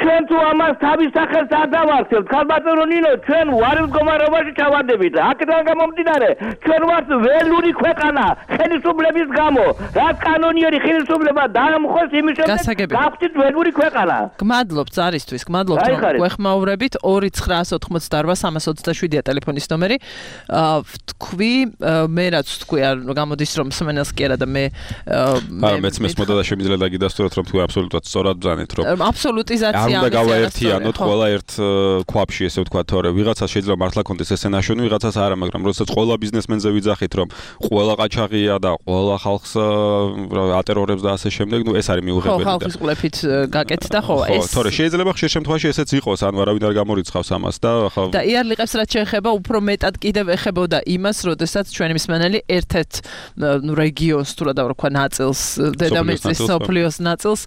ჩვენ თუ ამას თავის სახელს არ დავარქევთ, ქალბატონო ნინო, ჩვენ ვარ მდგომარეობაში ჩავარდებით. აქედან გამომდინარე, ჩვენ ვართ ველური ქვეყანა ხელისუფლების გამო. რაც კანონიერი ხელისუფლება დაამხოს იმის შემდეგ გავხდით ველური ქვეყანა. გმადლობთ ზარისთვის, გმადლობთ რომ გვეხმაურებით. ორი ცხრაასი ოცდაოთხმოცდაარბა სამას ოცდაშვიდია ტელეფონის ნომერი. ვთქვი, მე რაც ვთქვი, არ გამოდის რომ მსმენელს კი არა და მე აა მეც მესმოდა და შემიძლია დაგიდასტუროთ რომ თქვი აბსოლუტურად სწორად ბრძანეთ რომ აბსოლუტიზაცია არ უნდა გავაერთიანოთ ყველა ერთ ქვაბში ესე ვთქვა თორე ვიღაცას შეიძლება მართლა კონდეს ესე ნაშოვნი ვიღაცას არა მაგრამ როდესაც ყველა ბიზნესმენზე ვიძახით რომ ყველა ყაჩაღია და ყველა ხალხს ატერორებს და ასე შემდეგ ნუ ეს არის მიუღებელი და ხო ხალხის ყლეფით გაკეთდა ხო ეს ხო თორე შეიძლება ხშირ შემთხვევაში ესეც იყოს ანუ არავინ არ გამორიცხავს ამას და ხო და იარლიყებს რაც შეეხება უფრო მეტად კიდევ ეხებოდა იმას როდესაც ჩვენი მსმენელი ერთ-ერთ ნუ რეგიონს თუ რა დავარქვა ნაწილს დედამიწის სოფლიოს ნაწილს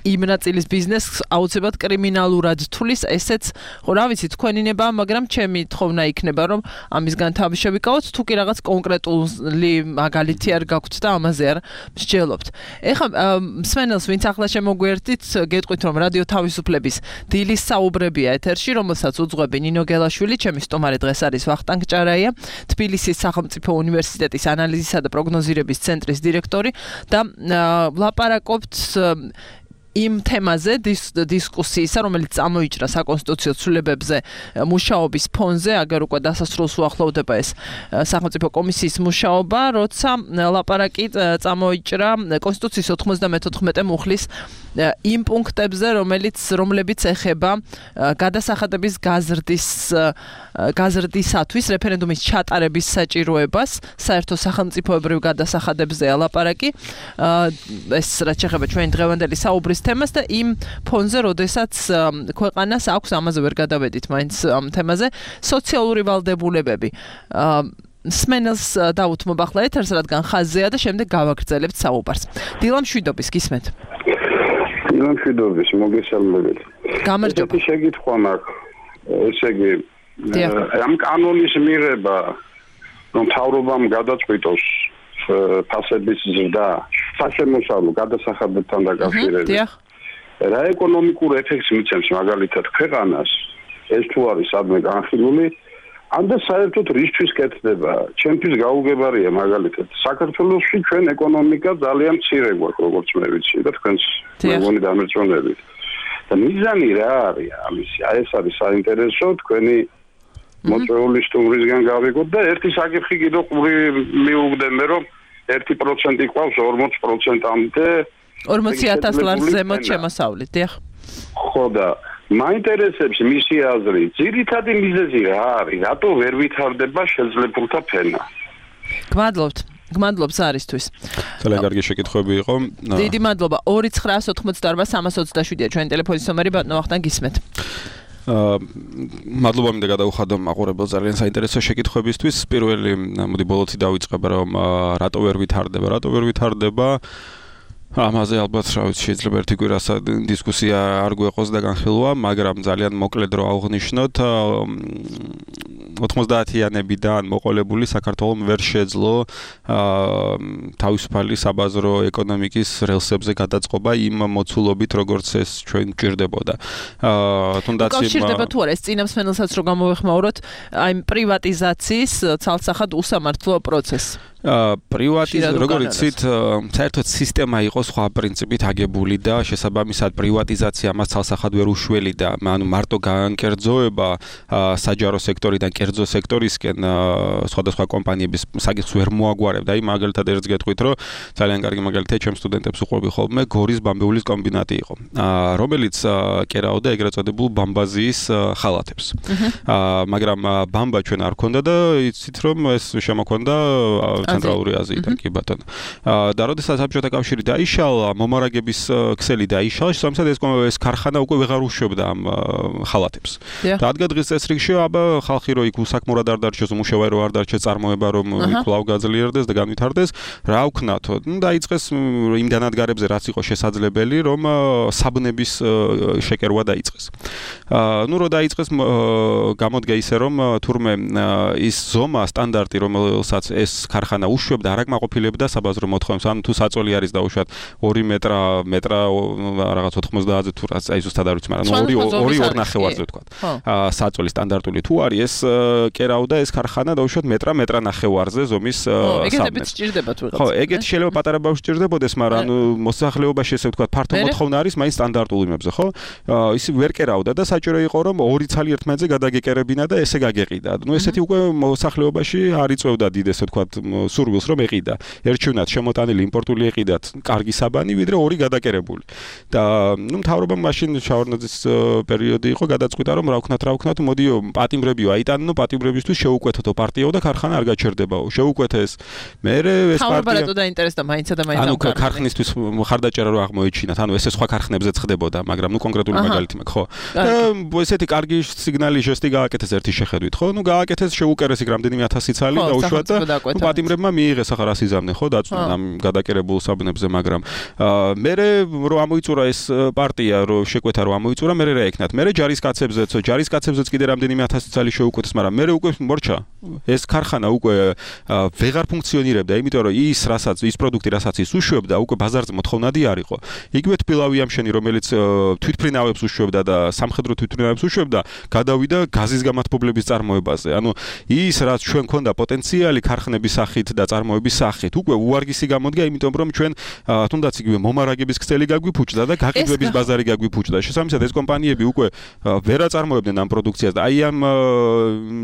იმ ნაწილის ბიზნესს აუცილებლად კრიმინალურად თulis ესეც ხო რა ვიცი თქვენინება მაგრამ ჩემი თხოვნა იქნება რომ ამისგან თავი შევიკავოთ თუ კი რაღაც კონკრეტული მაგალითი არ გაქვთ და ამაზე არ მსჯელობთ ეხლა მსმენელს ვინც ახლა შემოგვერთით გეტყვით რომ რადიო თავისუფლების დილის საუბრებია ეთერში რომელსაც უძღვები ნინო გელაშვილი ჩემი სტუმარი დღეს არის ვახტანგ ჭარაია თბილისის სახელმწიფო უნივერსიტეტის ანალიზისა და პროგნოზირების ცენტრის დირექტორი და ვლაპარაკობთ იმ თემაზე დისკუსიისა, რომელიც წამოიჭრა საკონსტიტუციო ცვლილებებზე მუშაობის ფონზე, აგერ უკვე დასასრულს უახლოვდება ეს სახელმწიფო კომისიის მუშაობა, როცა ლაპარაკი წამოიჭრა კონსტიტუციის ოთხმოცდამეთოთხმეტე მუხლის იმ პუნქტებზე, რომელიც რომლებიც ეხება გადასახადების გაზრდის გაზრდისათვის რეფერენდუმის ჩატარების საჭიროებას, საერთო სახელმწიფოებრივ გადასახადებზეა ლაპარაკი. ეს რაც შეეხება ჩვენი დღევანდელი საუბრის თემას და იმ ფონზე, როდესაც ქვეყანას აქვს ამაზე ვერ გადავედით მაინც ამ თემაზე სოციალური ვალდებულებები. სმენელს დაუთმობ ახლა ეთერს, რადგან ხაზზეა და შემდეგ გავაგრძელებთ საუბარს. დილამშვიდობის გისმენთ. დილამშვიდობის, მოგესალმებით. გამარჯობა. ეს შეგითხვა მაქვს. ესე იგი ამ კანონის მიღება რომ თავრობამ გადაწყვიტოს ფასების ზრდა საშემოსავლო გადასახადებთან დაკავშირებით. რა ეკონომიკურ ეფექტს მიცემს მაგალითად ქვეყანას ეს თუ არის სადმე განხილული ან და საერთოდ რისთვის კეთდება ჩემთვის გაუგებარია მაგალითად საქართველოში ჩვენ ეკონომიკა ძალიან მცირე გვაქვს როგორც მე ვიცი და თქვენს მეგონი დამერწმუნებით და მიზანი რა არის ამისი აი ეს არის საინტერესო თქვენი მოწვეული სტუმრისგან გავიგოთ და ერთი საკითხი კიდევ ყური მიუგდე მე რომ ერთი პროცენტი ყავს ორმოც პროცენტამდე ორმოცი ათას ლარს ზემოთ შემოსავლით, დიახ. ხო და მაინტერესებს მისი აზრი, ძირითადი მიზეზი რა არის? რატო ვერ ვითარდება შეძლებულთა ფენა? გმადლობთ. გმადლობთ არისთვის. ძალიან კარგი შეკითხვები იყო. დიდი მადლობა. ორი ცხრაას ოცდაოთხ სამას ოცდაშვიდია ჩვენი ტელეფონის ნომერი, ბატონო ვახტანგ გისმენთ. აა მადლობა მინდა გადავუხადო მაყურებელს ძალიან საინტერესო შეკითხვებისთვის. პირველი მოდი ბოლოცი დავიწყება რომ რატო ვერ ვითარდება, რატო ვერ ვითარდება ამაზე ალბათ რა ვიცი შეიძლება ერთი კვირას დისკუსია არ გვეყოს და განხილვა, მაგრამ ძალიან მოკლედ რო აღვნიშნოთ ოთხმოცდაათიანებიდან მოყოლებული საქართველოს ვერ შეძლო თავისუფალი საბაზრო ეკონომიკის რელსებზე გადაწყობა იმ მოცულობით როგორც ეს ჩვენ გვჭირდებოდა. თუნდაც იმ კავშირდება თუ არა ეს წინამსმენელსაც რო გამოვეხმაუროთ აი პრივატიზაციის ცალსახად უსამართლო პროცესს. პრივატიზაცია როგორც იცით, საერთოდ სისტემა იყო სხვა პრინციპით აგებული და შესაბამისად პრივატიზაცია მას ცალსახად ვერ უშველიდა. ანუ მარტო გაანკერძოება საჯარო სექტორიდან კერძო სექტორისკენ სხვადასხვა კომპანიების საკითხს ვერ მოაგვარებდა. აი მაგალითად ერთს გეტყვით, რომ ძალიან კარგი მაგალითია ჩემ სტუდენტებს უყვები ხოლმე გორის ბამბეულის კომბინატი იყო, რომელიც კერაოდა ეგრეთ წოდებულ ბამბაზიის ხალათებს. მაგრამ ბამბა ჩვენ არ ქონდა და იცით რომ ეს შემოქონდა ცენტრალური აზიიდან კი ბატონო. და როდესაც საბჭოთა კავშირი დაიშალა, მომარაგების ქსელი დაიშალა, შესაბამისად ეს ეს ქარხანა უკვე ვეღარ უშვებდა ამ ხალათებს. და ადგა დღის წესრიგში აბა ხალხი რო იქ უსაქმურად არ დარჩეს, უმუშევარი რო არ დარჩეს, წარმოება რომ კვლავ გაძლიერდეს და განვითარდეს, რა ვქნათო? ნუ დაიწყეს იმ განადგარებზე, რაც იყო შესაძლებელი, რომ საბნების შეკერვა დაიწყეს. ნუ რო დაიწყეს გამოდგა ისე რომ თურმე ის ზომა სტანდარტი რომელსაც ეს ქარხანა უშვებდა არ აკმაყოფილებდა საბაზრო მოთხოვნებს. ანუ თუ საწოლი არის დაუშვათ ორი მეტრა მეტრა რაღაც ოთხმოცდააზე თუ რაც აი ზუსტად არ ვიცი, მაგრამ ორი ორი ორ ნახევარზე ვთქვა. საწოლი სტანდარტული თუ არის ეს კერავდა ეს ქარხანა დაუშვათ მეტრა მეტრა ნახევარზე ზომის სამნებს. ეგეთებიც სჭირდება თუ რაღაც. ხო, ეგეთ შეიძლება პატარა ბავშვი სჭირდებოდეს, მაგრამ ანუ მოსახლეობაში ესე ვთქვა ფართო მოთხოვნა არის მაინც სტანდარტულ იმებზე, ხო? ის ვერ კერავდა და საჭირო იყო რომ ორი ცალი ერთმანეთზე გადაგეკერებინა და ესე გაგეყიდა. ნუ ესეთი უკვე მოსახლეობაში არ იწევდა დიდ ესე ვთქვა სურვილს რომ ეყიდა. ერჩივნათ შემოტანილი იმპორტული ეყიდათ კარგი საბანი, ვიდრე ორი გადაკერებული. და ნუ მთავრობამ მაშინ შავარდნაძის პერიოდი იყო, გადაწყვიტა რომ რა ვქნათ, რა ვქნათ, მოდიო პატიმრებიო აიტანო, პატიმრებისთვის შეუკვეთოთო პარტიაო და ქარხანა არ გაჩერდებაო. შეუკვეთეს. მერე ეს პარტია თავბრატო დაინტერესდა მაინცა და მაინც ანუ ქარხნისთვის ხარდაჭერა რო აღმოეჩინათ, ანუ ესე სხვა ქარხნებზე ხდებოდა, მაგრამ ნუ კონკრეტული მაგალითი მაქვს, ხო? და ესეთი კარგი სიგნალი ჟესტი გააკეთეს ერთი შეხედვით, ხო? ნუ გააკეთეს შეუკერეს იქ რამდენიმე ათასი ცალი და უშუალოდ და პატიმრებმა მიიღეს ახლა რას იზამნე, ხო, დაწვნა ამ გადაკერებულ საბნებზე, მაგრამ მერე რო ამოიწურა ეს პარტია, რო შეკვეთა რო ამოიწურა, მერე რა ეკნათ? მერე ჯარისკაცებზეც, ჯარისკაცებზეც კიდე რამდენიმე ათასი ცალი შეუკვეთეს, მაგრამ მერე უკვე მორჩა. ეს ქარხანა უკვე ვეღარ ფუნქციონირებდა, იმიტომ რომ ის რასაც ის პროდუქტი რასაც ის უშვებდა, უკვე ბაზარზე მოთხოვნადი არ იყო. იგივე თბილავი ამშენი, რომელიც თვითფრინავებს უშვებდა და სამხედრო თვითფრინავებს უშვებდა, გადავიდა გაზის გამათბობლების წარმოებაზე. ანუ ის რაც ჩვენ ქონდა პოტენციალი ქარხნების სახით და წარმოების სახით, უკვე უარგისი გამოდგა, იმიტომ რომ ჩვენ თუნდაც იგივე მომარაგების ქსელი გაგვიფუჭდა და გაყიდვების ბაზარი გაგვიფუჭდა. შესაბამისად ეს კომპანიები უკვე ვერ აწარმოებდნენ ამ პროდუქციას და აი ამ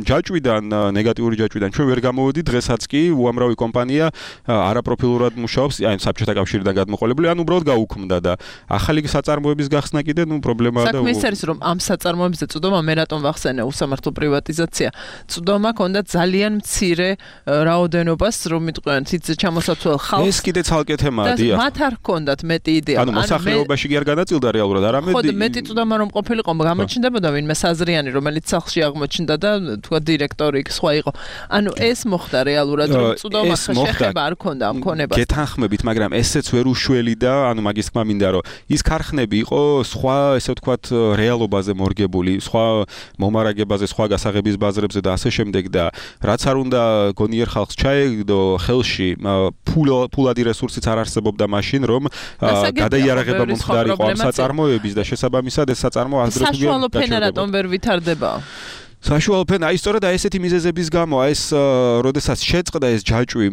ჯაჭვიდან, ნეგატიური ჯაჭვიდან ჩვენ ვერ გამოვედი, დღესაც კი უამრავი კომპანია არაპროფილურად მუშაობს, აი საბჭოთა კავშირიდან გადმოყოლებული, ან უბრალოდ გაუქმდა და ახალი საწარმოების გახსნა კიდე ნუ პრობლემაა და საქმე ის არის რომ ამ საწარმოებზე წვდომა მე რატომ ვახსენე უსამართლო პრივატიზაცია. წვდომა ქონდა ძალიან მცირე რაოდენობას, რომ მიტყვიან ციც ჩამოსაცვალ ხალხს. ეს კიდე ცალკე თემაა, დიახ. მათ არ ჰქონდათ მეტი იდეა. ანუ მოსახლეობაში კი არ გადაწილდა რეალურად, არამედ ხო, მეტი წვდომა რომ ყოფილიყო, გამოჩნდებოდა ვინმე საზრიანი, რომელიც სახლში აღმოჩნდა და თქვა დირექტორი იქ სხვა იყო. ანუ ეს მოხდა რეალურად, რომ წვდომა შეხება არ ქონდა ამ ქონებას. გეთანხმებით, მაგრამ ესეც ვერ უშველი და ანუ მაგის თქმა მინდა, რომ ის ქარხნები იყო სხვა, ესე ვთქვათ, რეალობაზე მორგებული, სხვა მომარაგებაზე, სხვა გასაღების ბაზრებზე და ასე შემდეგ და რაც არ უნდა გონიერ ხალხს ჩაეგდო ხელში, ფულადი რესურსიც არ არსებობდა მაშინ, რომ გადაიარაღება მომხდარიყო ამ საწარმოების და შესაბამისად ეს საწარმო ადრე თუ საშუალო ფენა რატომ ვერ ვითარდება? საშუალო ფენა, აი სწორედ აი ესეთი მიზეზების გამო, ეს როდესაც შეწყდა ეს ჯაჭვი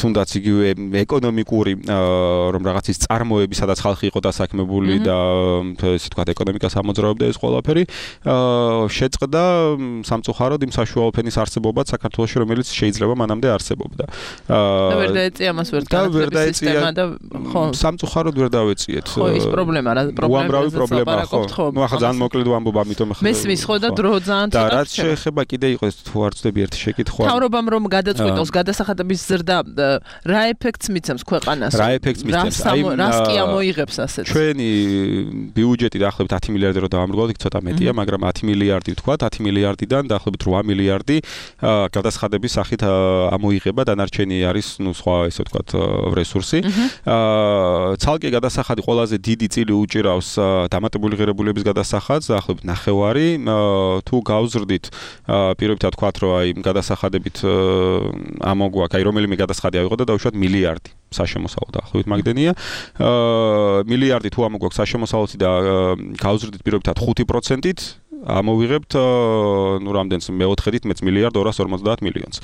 თუნდაც იგივე ეკონომიკური რომ რაღაც ის წარმოები, სადაც ხალხი იყო დასაქმებული და ესე ვთქვათ ეკონომიკას ამოძრავებდა ეს ყველაფერი, შეწყდა სამწუხაროდ იმ საშუალო ფენის არსებობად საქართველოში, რომელიც შეიძლება მანამდე არსებობდა. და ვერ დაეწია მას ვერ განათლების სისტემა და ხო სამწუხაროდ ვერ დავეციეთ. ხო ის პრობლემა რა უამრავი პრობლემა ხო. ნუ ახლა ძალიან მოკლედ ვამბობ ამიტომ ახლა მესმის ხო და დრო ძალიან და რაც შეეხება კიდე იყოს თუ არ ვწდები ერთი შეკითხვა. თავრობამ რომ გადაწყვიტოს გადასახადების ზრდა რა ეფექტს მიცემს ქვეყანას? რა ეფექტს მიცემს? აი რას კი ამოიღებს ასეთ? ჩვენი ბიუჯეტი დაახლოებით ათი მილიარდი რო დავამრგვალოთ, ცოტა მეტია, მაგრამ ათი მილიარდი ვთქვათ, ათი მილიარდიდან დაახლოებით რვა მილიარდი გადასახადების სახით ამოიღება, დანარჩენი არის ნუ სხვა ესე ვთქვათ რესურსი. აა ცალკე გადასახადი ყველაზე დიდი წილი უჭირავს დამატებული ღირებულების გადასახადს, დაახლოებით ნახევარი. თუ გავზრდით პირობითად ვთქვათ, რომ აი გადასახადებით ამოგვაქვს, აი რომელიმე გადასახადი ავიღოთ და დავუშვათ მილიარდი საშემოსავლო დაახლოებით მაგდენია. აა მილიარდი თუ ამოგვაქვს საშემოსავლოთი და გავზრდით პირობითად ხუთი პროცენტით ამოვიღებთ ნუ რამდენს მეოთხედით მეც მილიარდ ორას ორმოცდაათ მილიონს.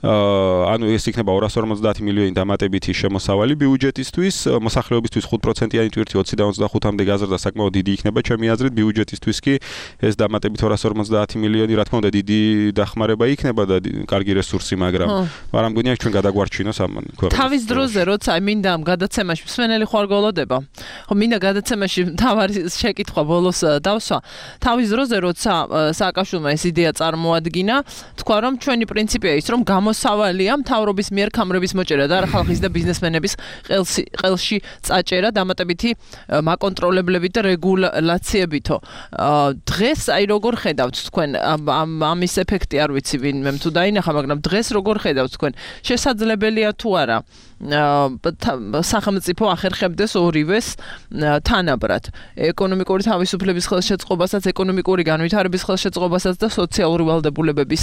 აა ანუ ეს იქნება ორას ორმოცდაათ მილიონი დამატებითი შემოსავალი ბიუჯეტისთვის, მოსახლეობისთვის ხუთ პროცენტიანი ტვირთი ოცი და ოცდახუთამდე გაზრდა საკმაოდ დიდი იქნება ჩემი აზრით, ბიუჯეტისთვის კი ეს დამატებით ორას ორმოცდაათი მილიონი რა თქმა უნდა დიდი დახმარება იქნება და კარგი რესურსი, მაგრამ მაგრამ მგონია ჩვენ გადაგვარჩინოს ამ ქვეყანას. თავის დროზე როცა მინდა ამ გადაცემაში მსმენელი ხوار გოლოდება. ხო მინდა გადაცემაში თავარი შეკითხვა ბოლოს დავსვა. თავის დროზე როცა სააკაშვილმა ეს იდეა წარმოადგინა, თქვა რომ ჩვენი პრინციპია ის რომ გამოსავალია მთავრობის მიერ ქამრების მოჭერა და ხალხის და ბიზნესმენების ყელში ყელში წაჭერა დამატებითი მაკონტროლებლებით და რეგულაციებითო. დღეს აი როგორ ხედავთ თქვენ ამის ეფექტი არ ვიცი ვინმე თუ დაინახა, მაგრამ დღეს როგორ ხედავთ თქვენ? შესაძლებელია თუ არა სახელმწიფო ახერხებდეს ორივეს თანაბრად, ეკონომიკური თავისუფლების ხელშეწყობასაც, ეკონომიკური განვითარების ხელშეწყობასაც და სოციალური ვალდებულებების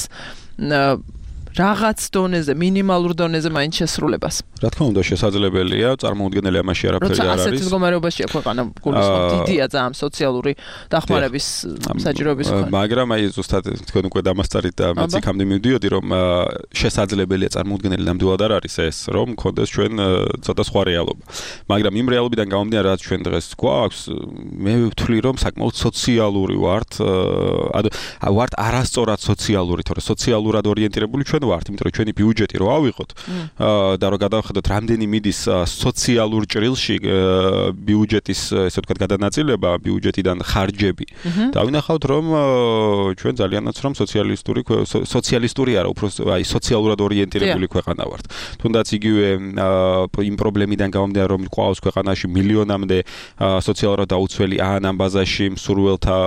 რაღაც დონეზე, მინიმალურ დონეზე მაინც შესრულებას. რა თქმა უნდა შესაძლებელია, წარმოუდგენელი ამაში არაფერი არ არის. როცა ასეთ მდგომარეობაშია ქვეყანა, გულისხმობ დიდია ძალიან სოციალური დახმარების საჭიროების მქონე. მაგრამ აი ზუსტად თქვენ უკვე დამასწარით და მეც იქამდე მივდიოდი, რომ შესაძლებელია წარმოუდგენელი ნამდვილად არ არის ეს, რომ მქონდეს ჩვენ ცოტა სხვა რეალობა. მაგრამ იმ რეალობიდან გამომდინარე, რაც ჩვენ დღეს გვაქვს, მე ვთვლი, რომ საკმაოდ სოციალური ვართ, ანუ ვართ არასწორად სოციალური, თორე სოციალურად ორიენტირებული ჩვენ ვართ, იმიტომ რომ ჩვენი ბიუჯეტი რო ავიღოთ და რო გადავხედოთ რამდენი მიდის სოციალურ ჭრილში ბიუჯეტის ესე ვთქვათ გადანაწილება, ბიუჯეტიდან ხარჯები. დავინახავთ რომ ჩვენ ძალიანაც რომ სოციალისტური სოციალისტური არა, უფრო აი სოციალურად ორიენტირებული ქვეყანა ვართ. თუნდაც იგივე იმ პრობლემიდან გამომდინარე რომ ყავს ქვეყანაში მილიონამდე სოციალურად დაუცველი ან ამ ბაზაში მსურველთა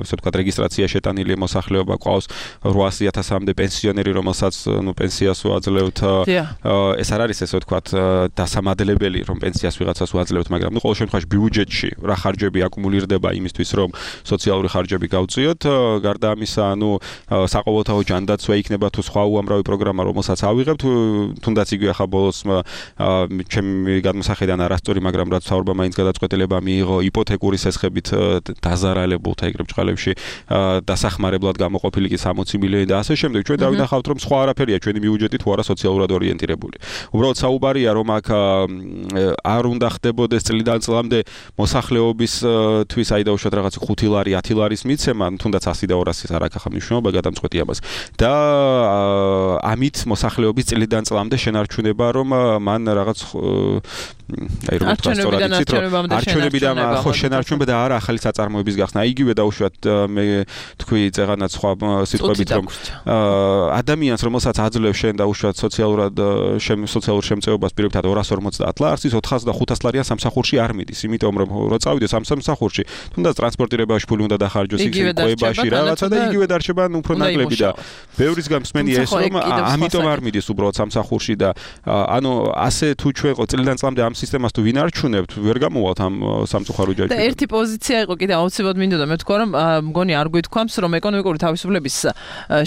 ესე ვთქვათ რეგისტრაცია შეტანილი მოსახლეობა ყავს რვასი ათასამდე პენსიონერი რომელსაც ნუ პენსიას უაძლევთ. ეს არ არის ესე ვთქვათ დასამადლებელი რომ პენსიას ვიღაცას უაძლევთ, მაგრამ ნუ ყოველ შემთხვევაში ბიუჯეტში რა ხარჯები აკუმულირდება იმისთვის რომ სოციალური ხარჯები გავწიოთ. გარდა ამისა, ნუ საყოველთაო ჯანდაცვა იქნება თუ სხვა უამრავი პროგრამა რომელსაც ავიღებთ, თუნდაც იგივე ახლა ბოლოს ჩემი გადმოსახედიდან არასწორი, მაგრამ რაც საუბარმა მაინც გადაწყვეტილება მიიღო იპოთეკური სესხებით დაზარალებულთა ეგრეთ წყალებში დასახმარებლად გამოყოფილი კი სამოცი მილიონი და ასე შემდეგ. ჩვენ დავინახავთ რომ სხვა არაფერია ჩვენი ბიუჯეტი თუ არა სოციალურად ორიენტირებული. უბრალოდ საუბარია რომ აქ არ უნდა ხდებოდეს წლიდან წლამდე მოსახლეობის თვის აი დაუშვათ რაღაც ხუთი ლარი, ათი ლარის მიცემა, თუნდაც ასი და ორასიც არ აქვს ახლა მნიშვნელობა გადამწყვეტი ამას. და ამით მოსახლეობის წლიდან წლამდე შენარჩუნება რომ მან რაღაც აი როგორ თქვა სწორად იცით რომ არჩევნებიდან ხო შენარჩუნება და არა ახალი საწარმოების გახსნა. იგივე დაუშვათ მე თქვი წეღანაც სხვა სიტყვებით რომ ადამიანს რომელსაც აძლევს შენ დაუშვათ სოციალურად სოციალურ შემწეობას პირობითად ორას ორმოცდაათ ლარს, ის ოთხას და ხუთას ლარიან სამსახურში არ მიდის, იმიტომ რომ რო წავიდეს ამ სამსახურში, თუნდაც ტრანსპორტირებაში ფული უნდა დახარჯოს, იქ ყვებაში რაღაცა და იგივე დარჩება უფრო ნაკლები და ბევრის გამსმენია ეს რომ ამიტომ არ მიდის უბრალოდ სამსახურში და ანუ ასე თუ ჩვენ ყო წლიდან წლამდე ამ სისტემას თუ ვინ არჩუნებთ, ვერ გამოვალთ ამ სამწუხარო ჯაჭვიდან. და ერთი პოზიცია იყო კიდე აუცილებლად მინდოდა მე თქვა რომ მგონი არ გვითქვამს რომ ეკონომიკური თავისუფლების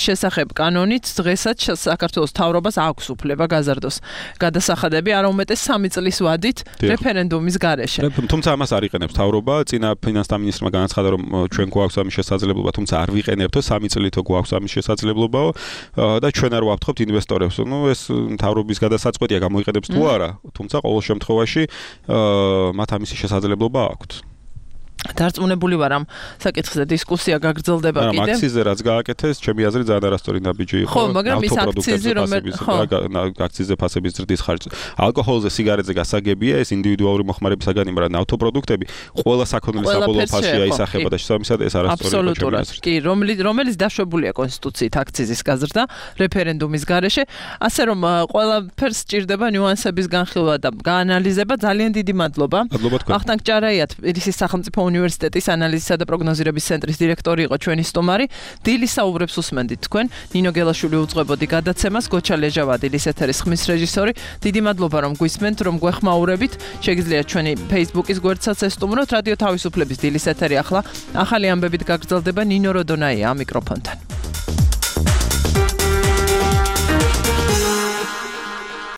შესახებ კანონით დღეს როდესაც საქართველოს მთავრობას აქვს უფლება გაზარდოს გადასახადები, არა უმეტეს სამი წლის ვადით რეფერენდუმის გარეშე. თუმცა ამას არ იყენებს მთავრობა, წინა ფინანსთა მინისტრმა განაცხადა, რომ ჩვენ გვაქვს ამის შესაძლებლობა, თუმცა არ ვიყენებთო სამი წლითო გვაქვს ამის შესაძლებლობაო და ჩვენ არ ვაფრთხობთ ინვესტორებს. ნუ ეს მთავრობის გადასაწყვეტია გამოიყენებს თუ არა, თუმცა ყოველ შემთხვევაში მათ ამისი შესაძლებლობა აქვთ. დარწმუნებული ვარ ამ საკითხზე დისკუსია გაგრძელდება კიდე. მაგრამ აქციზე რაც გააკეთეს, ჩემი აზრით ძალიან არასწორი ნაბიჯი იყო. ხო, მაგრამ ის აქციზე რომელიც ხო, აქციზე ფასების ზრდის ხარჯზე. ალკოჰოლზე, სიგარეტზე გასაგებია ეს ინდივიდუალური მოხმარებისაგანი, მაგრამ ნავთობპროდუქტები ყველა საქონლის საბოლოო ფასშია ისახება და შესაბამისად ეს არასწორი იყო ჩემი აზრით. კი, რომელიც რომელიც დაშვებულია კონსტიტუციით აქციზის გაზრდა რეფერენდუმის გარეშე, ასე რომ ყველაფერს სჭირდება ნიუანსების განხილვა და გაანალიზება. ძალიან დიდი მადლობა. ვახტანგ ჭარაია, თბილისის სახელმწიფო უნივერსიტეტის ანალიზისა და პროგნოზირების ცენტრის დირექტორი იყო ჩვენი სტუმარი. დილის საუბრებს უსმენდით თქვენ. ნინო გელაშვილი უძღვებოდი გადაცემას, გოჩა ლეჟავა დილის ეთერის ხმის რეჟისორი. დიდი მადლობა რომ გვისმენთ, რომ გვეხმაურებით. შეგიძლიათ ჩვენი Facebook-ის გვერდსაც ესტუმროთ. რადიო თავისუფლების დილის ეთერი ახლა ახალი ამბებით გაგრძელდება. ნინო როდონაია ამ მიკროფონთან.